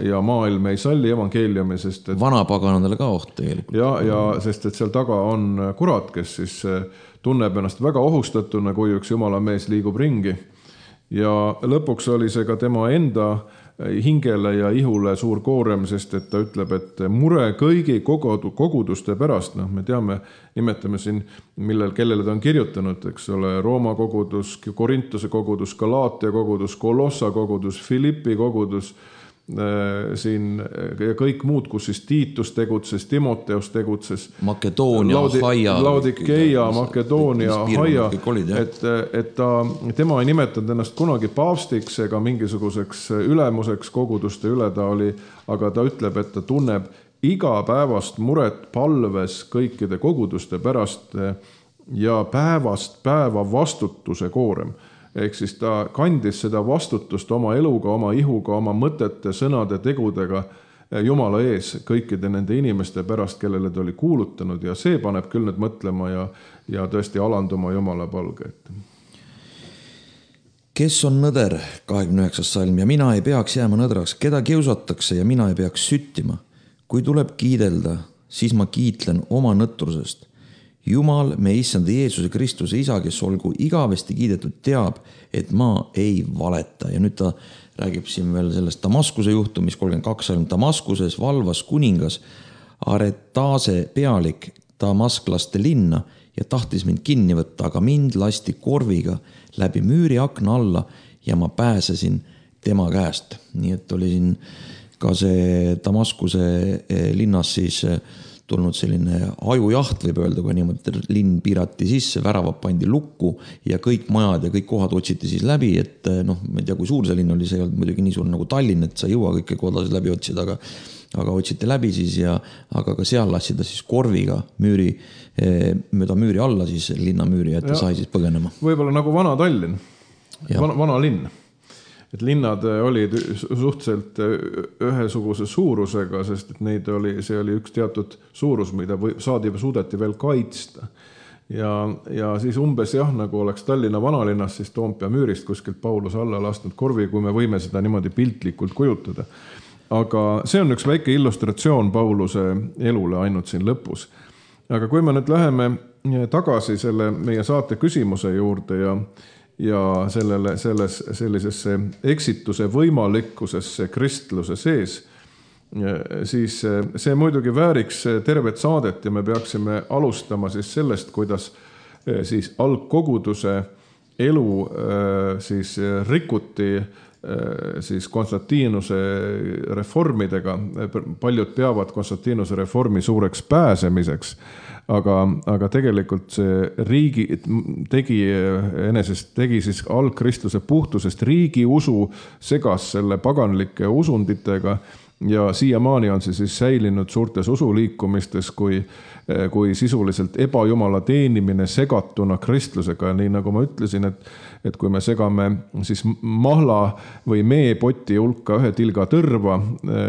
ja maailm ei salli evangeeliumi, sest et vana paganadele ka oht tegelikult. Ja, ja sest et seal taga on kurat, kes siis tunneb ennast väga ohustatuna, kui üks jumala mees liigub ringi. Ja lõpuks oli see ka tema enda hingele ja ihule suur koorem, sest et ta ütleb, et mure kõigi koguduste pärast, noh, me teame, nimetame siin, millel, kellele ta on kirjutanud, eks ole, Rooma kogudus, Korintuse kogudus, Galaatia kogudus, Kolossa kogudus, Filippi kogudus, siin ja kõik muud, kus siis Tiitus tegutses, Timoteus tegutses, Makedoonia, Laudi, Haia, Laudikeia, Makedoonia, Haia, et, et ta, tema ei nimetanud ennast kunagi paavstiks ega mingisuguseks ülemuseks koguduste üle ta oli, aga ta ütleb, et ta tunneb igapäevast muret palves kõikide koguduste pärast ja päevast päeva vastutuse koorem. Ehk siis ta kandis seda vastutust oma eluga, oma ihuga, oma mõtete, sõnade, tegudega Jumala ees kõikide nende inimeste pärast, kellele ta oli kuulutanud ja see paneb küll nüüd mõtlema ja, ja tõesti alanduma Jumala palge ette. Kes on nõder, kahekümne üheksas salm, ja mina ei peaks jääma nõdraks, keda kiusatakse ja mina ei peaks süttima. Kui tuleb kiidelda, siis ma kiitlen oma nõtrusest. Jumal, me issanda Jeesuse Kristuse isa, kes olgu igavesti kiidetud, teab, et ma ei valeta. Ja nüüd ta räägib siin veel sellest Damaskuse juhtumist, kolmkümmend kaks salm. Damaskuses valvas kuningas Aretase pealik damasklaste linna ja tahtis mind kinni võtta, aga mind lasti korviga läbi müüri akna alla ja ma pääsesin tema käest. Nii et oli siin ka see Damaskuse linnas siis tulnud selline ajujaht, võib öelda, kui niimoodi linn piirati sisse, väravad pandi lukku ja kõik majad ja kõik kohad otsiti siis läbi, et noh, ma ei tea, kui suur see linn oli, see ei olnud muidugi nii suur nagu Tallinn, et sa ei jõua kõike kodasid läbi otsida, aga, aga otsiti läbi siis ja aga ka seal lassida siis korviga müüri, mööda müüri alla siis linna müüri, et ta sai siis põgenema. Võib-olla nagu vana Tallinn, vana, vana linn. Et linnad olid suhteliselt ühesuguse suurusega, sest et neid oli, see oli üks teatud suurus, mida saadi suudeti veel kaitsta. Ja, ja siis umbes jah, nagu oleks Tallinna vanalinnas, siis Toompea müürist kuskilt Paulus alla lastnud korvi, kui me võime seda niimoodi piltlikult kujutada. Aga see on üks väike illustratsioon Pauluse elule ainult siin lõpus. Aga kui me nüüd läheme tagasi selle meie saate küsimuse juurde ja ja sellele, selles, sellisesse eksituse võimalikkusesse kristluse sees, siis see muidugi vääriks tervet saadet ja me peaksime alustama siis sellest, kuidas siis algkoguduse elu siis rikuti siis Konstantinuse reformidega. Paljud peavad Konstantinuse reformi suureks pääsemiseks, aga, aga tegelikult see riigi tegi, enesest tegi siis algkristluse puhtusest riigi usu segas selle paganlike usunditega ja siiamaani on see siis säilinud suurtes usuliikumistes kui, kui sisuliselt ebajumala teenimine segatuna kristlusega. Nii nagu ma ütlesin, et, et kui me segame siis mahla või meepoti hulka ühe tilga tõrva,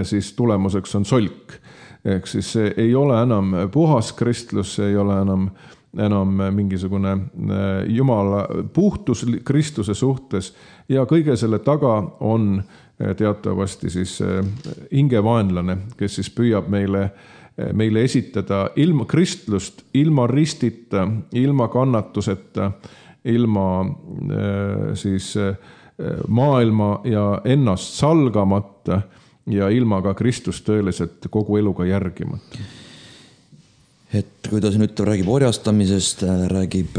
siis tulemuseks on solk. Ehk siis see ei ole enam puhas kristlus, see ei ole enam, enam mingisugune Jumala puhtus Kristuse suhtes ja kõige selle taga on teatavasti siis hingevaenlane, kes siis püüab meile, meile esitada ilma kristlust, ilma ristita, ilma kannatuseta, ilma siis maailma ja ennast salgamata ja ilma ka Kristust tõeliselt kogu eluga järgimata. Et kui ta siin ütleb, räägib orjastamisest, räägib,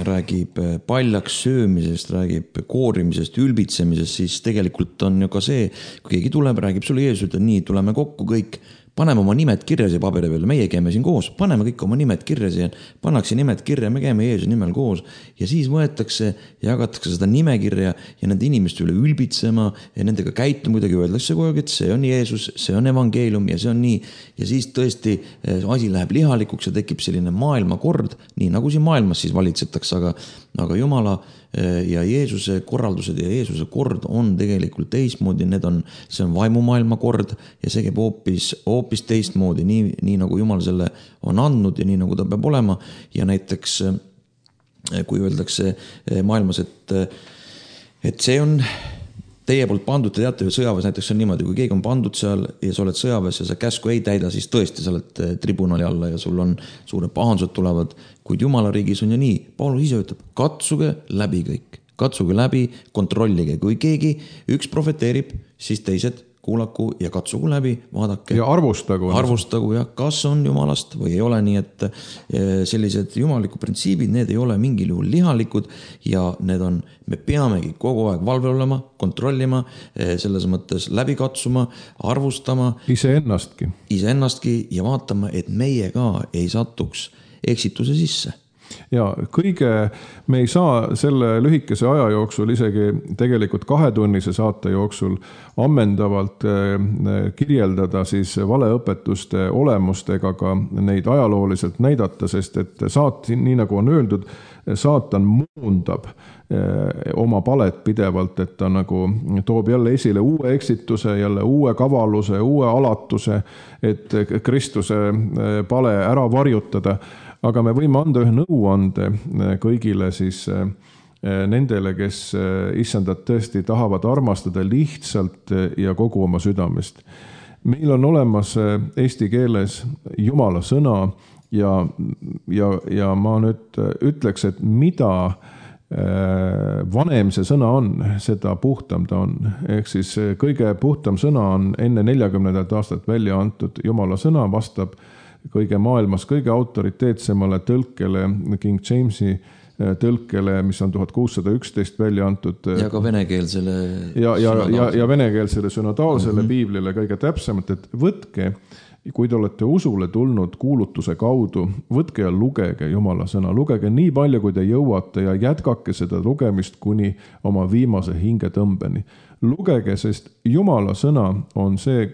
räägib paljaks söömisest, räägib koorimisest, ülbitsemisest, siis tegelikult on ju ka see, kui keegi tuleb, räägib sulle Jeesus, ütleb nii, tuleme kokku kõik, paneme oma nimed kirja siia paberi peale, meie käime siin koos, paneme kõik oma nimed kirja siia, pannakse nimed kirja, me käime Jeesuse nimel koos ja siis võetakse ja jagatakse seda nimekirja ja nende inimeste üle ülbitsema ja nendega käituma kuidagi öeldakse kogu aeg, et see on Jeesus, see on evangeelium ja see on nii ja siis tõesti asi läheb lihalikuks ja tekib selline maailmakord, nii nagu siin maailmas siis valitsetakse, aga, aga Jumala ja Jeesuse korraldused ja Jeesuse kord on tegelikult teistmoodi, need on, see on vaimumaailma kord ja see käib hoopis, hoopis teistmoodi, nii, nii nagu Jumal selle on andnud ja nii nagu ta peab olema ja näiteks kui öeldakse maailmas, et, et see on teie poolt pandud, te teate, sõjaväes näiteks on niimoodi, kui keegi on pandud seal ja sa oled sõjaväes ja sa käsku ei täida, siis tõesti sa oled tribunali alla ja sul on suured pahandused tulevad, kuid Jumala riigis on ju nii. Paulus ise ütleb, katsuge läbi kõik, katsuge läbi, kontrollige, kui keegi üks profeteerib, siis teised kuulaku ja katsugu läbi, vaadake. Ja arvustagu. Arvustagu ja kas on jumalast või ei ole, nii et sellised jumaliku printsiibid, need ei ole mingil juhul lihalikud ja need on, me peamegi kogu aeg valvel olema, kontrollima, selles mõttes läbi katsuma, arvustama. Iseennastki. Iseennastki ja vaatama, et meie ka ei satuks eksituse sisse. Ja kõige, me ei saa selle lühikese aja jooksul, isegi tegelikult kahetunnise saate jooksul ammendavalt kirjeldada siis valeõpetuste olemust ega ka neid ajalooliselt näidata, sest et saat, nii nagu on öeldud, saatan muundab oma palet pidevalt, et ta nagu toob jälle esile uue eksituse, jälle uue kavaluse, uue alatuse, et Kristuse pale ära varjutada. Aga me võime anda ühe nõuande kõigile siis nendele, kes issandat tõesti tahavad armastada lihtsalt ja kogu oma südamest. Meil on olemas eesti keeles Jumala sõna ja, ja, ja ma nüüd ütleks, et mida vanem see sõna on, seda puhtam ta on. Ehk siis kõige puhtam sõna on enne neljakümnendat aastat välja antud Jumala sõna, vastab kõige maailmas kõige autoriteetsemale tõlkele, King Jamesi tõlkele, mis on tuhat kuussada üksteist välja antud. Ja ka venekeelsele ja, ja, ja, ja venekeelsele synodaalsele mm-hmm. piiblile kõige täpsemalt, et võtke, kui te olete usule tulnud kuulutuse kaudu, võtke ja lugege Jumala sõna. Lugege nii palju, kui te jõuate ja jätkake seda lugemist kuni oma viimase hingetõmbeni. Lugege, sest Jumala sõna on see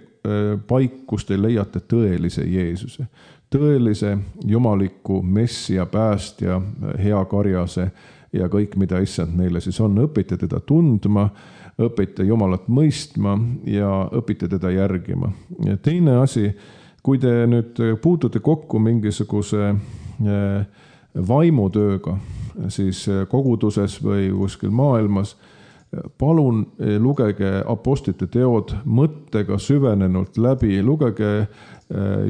paik, kus te leiate tõelise Jeesuse, tõelise jumaliku messia, päästja, hea karjase ja kõik, mida issand meile siis on. Õpite teda tundma, õpite Jumalat mõistma ja õpite teda järgima. Ja teine asi, kui te nüüd puutute kokku mingisuguse vaimutööga, siis koguduses või kuskil maailmas, palun lugege apostlite teod mõttega süvenenult läbi, lugege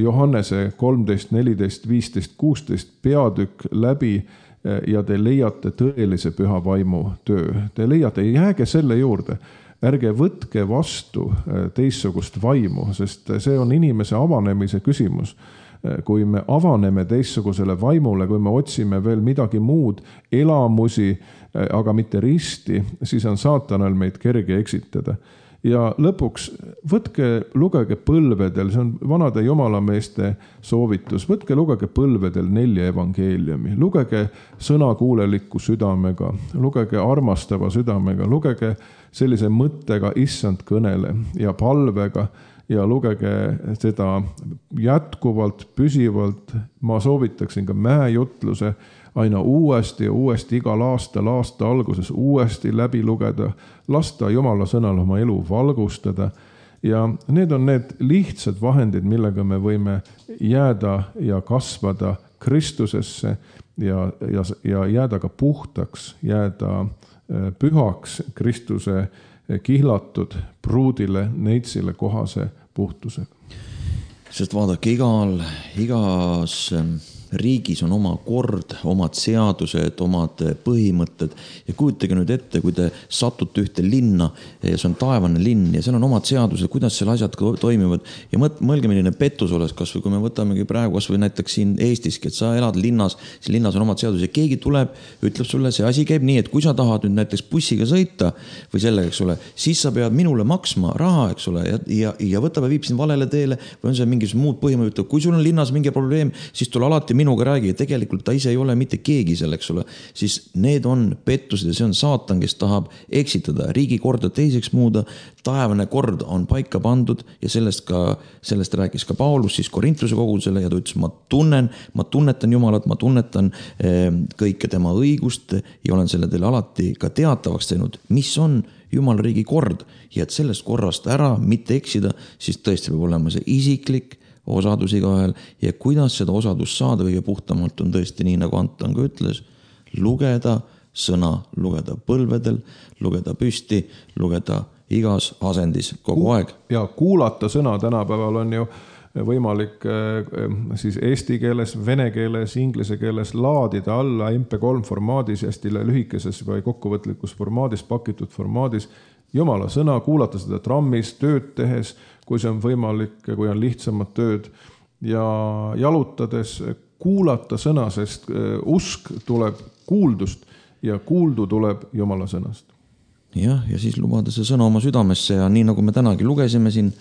Johannese kolmteist, neliteist, viisteist, kuusteist peatükk läbi ja te leiate tõelise püha vaimu töö. Te leiate, jääge selle juurde, ärge võtke vastu teissugust vaimu, sest see on inimese avanemise küsimus. Kui me avaneme teissugusele vaimule, kui me otsime veel midagi muud, elamusi, aga mitte risti, siis on saatanal meid kerge eksitada. Ja lõpuks võtke, lugege põlvedel, see on vanade jumalameeste soovitus, võtke, lugege põlvedel nelja evangeeliumi, lugege sõnakuulelikku südamega, lugege armastava südamega, lugege sellise mõttega issand kõnele ja palvega ja lugege seda jätkuvalt, püsivalt. Ma soovitaksin ka mäejutluse aina uuesti ja uuesti igal aastal, aasta alguses uuesti läbi lugeda, lasta Jumala sõnal oma elu valgustada. Ja need on need lihtsad vahendid, millega me võime jääda ja kasvada Kristusesse ja, ja, ja jääda ka puhtaks, jääda pühaks Kristuse kihlatud pruudile, neitsile kohase puhtusega. Sest vaadake, igal, igas riigis on oma kord, omad seadused, omad põhimõtted ja kujutage nüüd ette, kui te satute ühte linna ja see on taevane linn ja seal on omad seadused, kuidas seal asjad toimivad ja mõelge, milline pettus oleks, kas või kui me võtamegi praegu, kas või näiteks siin Eestiski, et sa elad linnas, siis linnas on omad seadused ja keegi tuleb, ütleb sulle, see asi käib nii, et kui sa tahad nüüd näiteks bussiga sõita või sellega, eks ole, siis sa pead minule maksma raha, eks ole, ja, ja, ja võtab ja viib sind valele teele või on see mingisugused muud põhimõtted, kui sul on linnas mingi probleem, siis tule alati minuga räägi ja tegelikult ta ise ei ole mitte keegi seal, eks ole, siis need on pettused ja see on saatan, kes tahab eksitada, riigi korda teiseks muuda, taevane kord on paika pandud ja sellest ka, sellest rääkis ka Paulus siis Korintuse kogudusele ja ta ütles, ma tunnen, ma tunnetan Jumalat, ma tunnetan eh, kõike tema õigust ja olen selle teile alati ka teatavaks teinud, mis on Jumala riigi kord ja et sellest korrast ära mitte eksida, siis tõesti peab olema see isiklik osadus igahel ja kuidas seda osadust saada kõige puhtamalt on tõesti nii, nagu Anton ka ütles, lugeda sõna, lugeda põlvedel, lugeda püsti, lugeda igas asendis kogu aeg. Ja kuulata sõna tänapäeval on ju võimalik siis eesti keeles, vene keeles, inglise keeles laadida alla em pe kolm formaadis, hästi lühikeses või kokkuvõtlikus formaadis, pakitud formaadis Jumala sõna, kuulata seda trammis, tööd tehes, kui see on võimalik, kui on lihtsamad tööd ja jalutades kuulata sõna, sest usk tuleb kuuldust ja kuuldu tuleb Jumala sõnast. Jah, ja siis lubada see sõna oma südamesse ja nii nagu me tänagi lugesime siin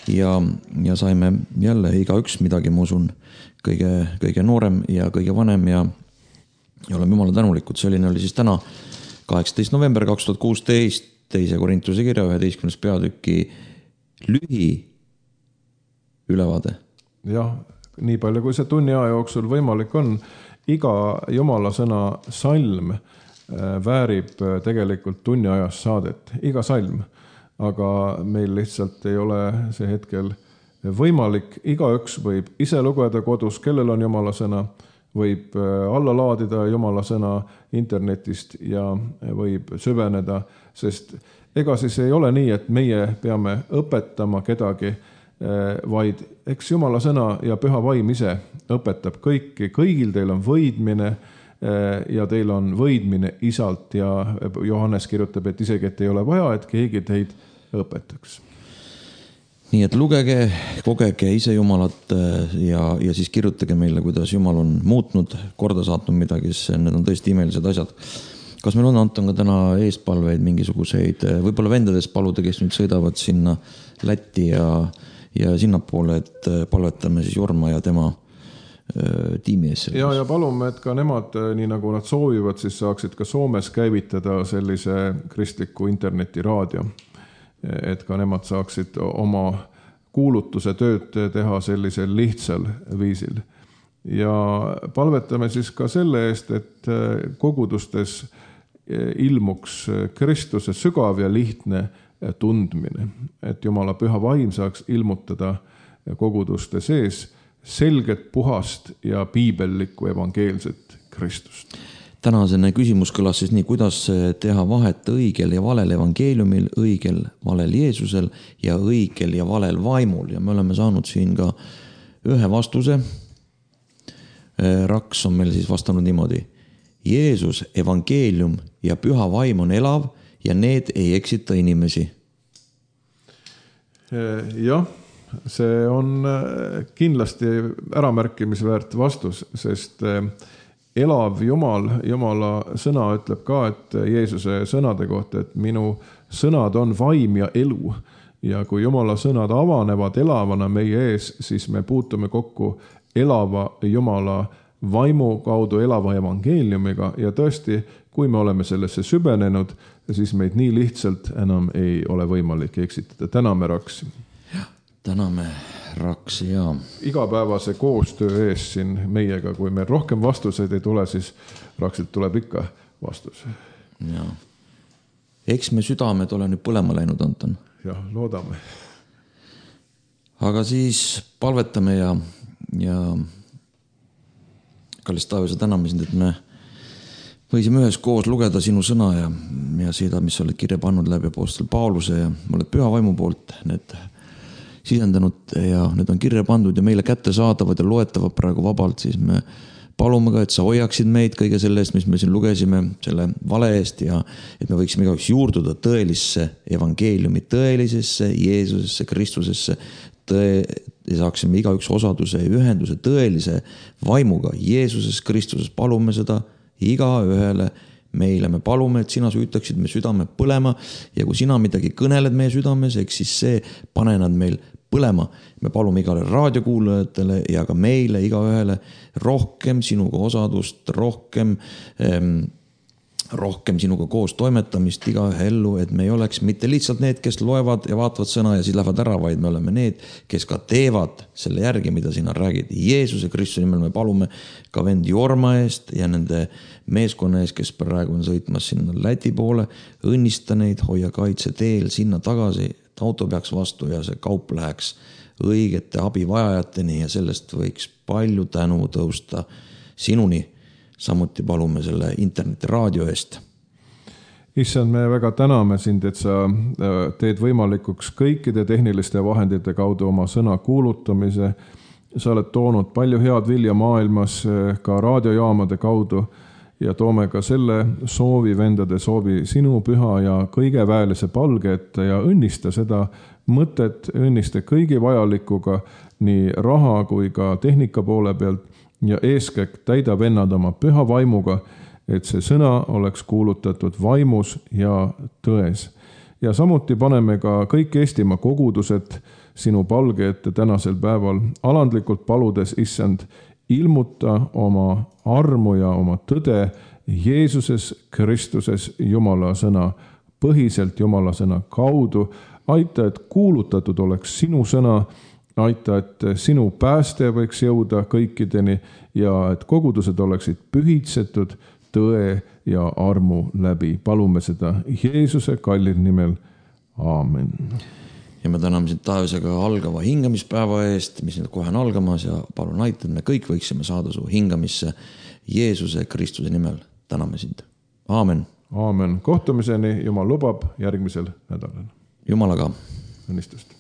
ja, ja saime jälle igaüks midagi, ma usun, kõige, kõige noorem ja kõige vanem ja, ja oleme Jumala tänulikud. Selline oli siis täna kaheksateist november kaks tuhat kuusteist teise Korintuse kirja üheteistkümnes peatüki lühi ülevaade. Jah, nii palju kui see tunni aja jooksul võimalik on, iga Jumala sõna salm väärib tegelikult tunni ajas saadet, iga salm, aga meil lihtsalt ei ole see hetkel võimalik, igaüks võib ise lugeda kodus, kellel on Jumala sõna, võib alla laadida Jumala sõna internetist ja võib süveneda, sest ega siis ei ole nii, et meie peame õpetama kedagi, vaid eks Jumala sõna ja püha vaim ise õpetab kõiki, kõigil teil on võidmine ja teil on võidmine isalt ja Johannes kirjutab, et isegi, et ei ole vaja, et keegi teid õpetaks. Nii et lugege, kogege ise Jumalat ja, ja siis kirjutage meile, kuidas Jumal on muutnud, korda saatnud midagi, sest need on tõesti imelised asjad. Kas meil on, Anton, ka täna eespalveid mingisuguseid, võib-olla vendades paluda, kes nüüd sõidavad sinna Lätti ja, ja sinnapoole, et palvetame siis Jorma ja tema öö, tiimi ees. Ja, ja palume, et ka nemad, nii nagu nad soovivad, siis saaksid ka Soomes käivitada sellise kristliku internetiraadio. Et ka nemad saaksid oma kuulutuse tööd teha sellisel lihtsal viisil. Ja palvetame siis ka selle eest, et kogudustes ilmuks Kristuse sügav ja lihtne tundmine. Et Jumala püha vaim saaks ilmutada koguduste sees selget, puhast ja piibellikku evangeelset Kristust. Tänasene küsimus kõlas siis nii, kuidas teha vahet õigel ja valel evangeeliumil, õigel valel Jeesusel ja õigel ja valel vaimul. Ja me oleme saanud siin ka ühe vastuse. Raks on meil siis vastanud niimoodi. Jeesus, evangeelium ja püha vaim on elav ja need ei eksita inimesi. Jah, see on kindlasti äramärkimisväärt vastus, sest elav Jumal, Jumala sõna ütleb ka, et Jeesuse sõnade kohta, et minu sõnad on vaim ja elu. Ja kui Jumala sõnad avanevad elavana meie ees, siis me puutume kokku elava Jumala vaimu kaudu elava evangeeliumiga ja tõesti, kui me oleme sellesse sübenenud, siis meid nii lihtsalt enam ei ole võimalik eksitada. Täname Raksi. Täname Raksi ja igapäevase koostöö ees siin meiega, kui meil rohkem vastuseid ei tule, siis Raksilt tuleb ikka vastus. Ja. Eks me südamed ole nüüd põlema läinud, Anton. Jah, loodame. Aga siis palvetame ja, ja kallis Taavise täname sind, et me võisime ühes koos lugeda sinu sõna ja, ja seda, mis oled kirja pannud läbi apostel Pauluse ja oled püha vaimu poolt need sisendanud ja need on kirja pandud ja meile kätte saadavad ja loetavad praegu vabalt, siis me palume ka, et sa hoiaksid meid kõige selle eest, mis me siin lugesime, selle vale eest ja et me võiksime igaüks juurduda tõelisse evangeeliumi, tõelisesse Jeesusesse, Kristusesse, tõe, ja saaksime igaüks osaduse ja ühenduse tõelise vaimuga Jeesuses, Kristuses. Palume seda iga ühele meile. Me palume, et sina süütaksid me südame põlema ja kui sina midagi kõneled meie südames, eks siis see pane nad meil põlema. Me palume igale raadiokuulajatele ja ka meile, iga ühele rohkem sinuga osadust, rohkem, ähm, rohkem sinuga koos toimetamist iga ühe ellu, et me ei oleks mitte lihtsalt need, kes loevad ja vaatavad sõna ja siis lähevad ära, vaid me oleme need, kes ka teevad selle järgi, mida sina räägid. Jeesuse Kristuse nimel me palume ka vend Jorma eest ja nende meeskonna eest, kes praegu on sõitmas sinna Läti poole. Õnnista neid, hoia kaitse teel sinna tagasi, et auto peaks vastu ja see kaup läheks õigete abivajajateni ja sellest võiks palju tänu tõusta sinuni. Samuti palume selle internetiraadio eest. issand, me väga täname sind, et sa teed võimalikuks kõikide tehniliste vahendite kaudu oma sõna kuulutamise. Sa oled toonud palju head vilja maailmas ka raadiojaamade kaudu ja toome ka selle soovi, vendade soovi sinu püha ja kõige väelise palge ette ja õnnista seda mõtet, õnnista kõigi vajalikuga nii raha kui ka tehnika poole pealt ja eeskätt täida vennad oma püha vaimuga, et see sõna oleks kuulutatud vaimus ja tões. Ja samuti paneme ka kõik Eestimaa kogudused sinu palge ette tänasel päeval, alandlikult paludes, issand, ilmuta oma armu ja oma tõde Jeesuses Kristuses Jumala sõna, põhiselt Jumala sõna kaudu. Aita, et kuulutatud oleks sinu sõna, aita, et sinu pääste võiks jõuda kõikideni ja et kogudused oleksid pühitsetud tõe ja armu läbi. Palume seda Jeesuse kallil nimel. Aamen. Ja me täname sind taevasega algava hingamispäeva eest, mis nüüd kohe on algamas ja palun aita, et me kõik võiksime saada su hingamisse Jeesuse Kristuse nimel. Täname sind. Aamen. Aamen. Kohtumiseni, Jumal lubab järgmisel nädalal. Jumalaga. Õnnistust.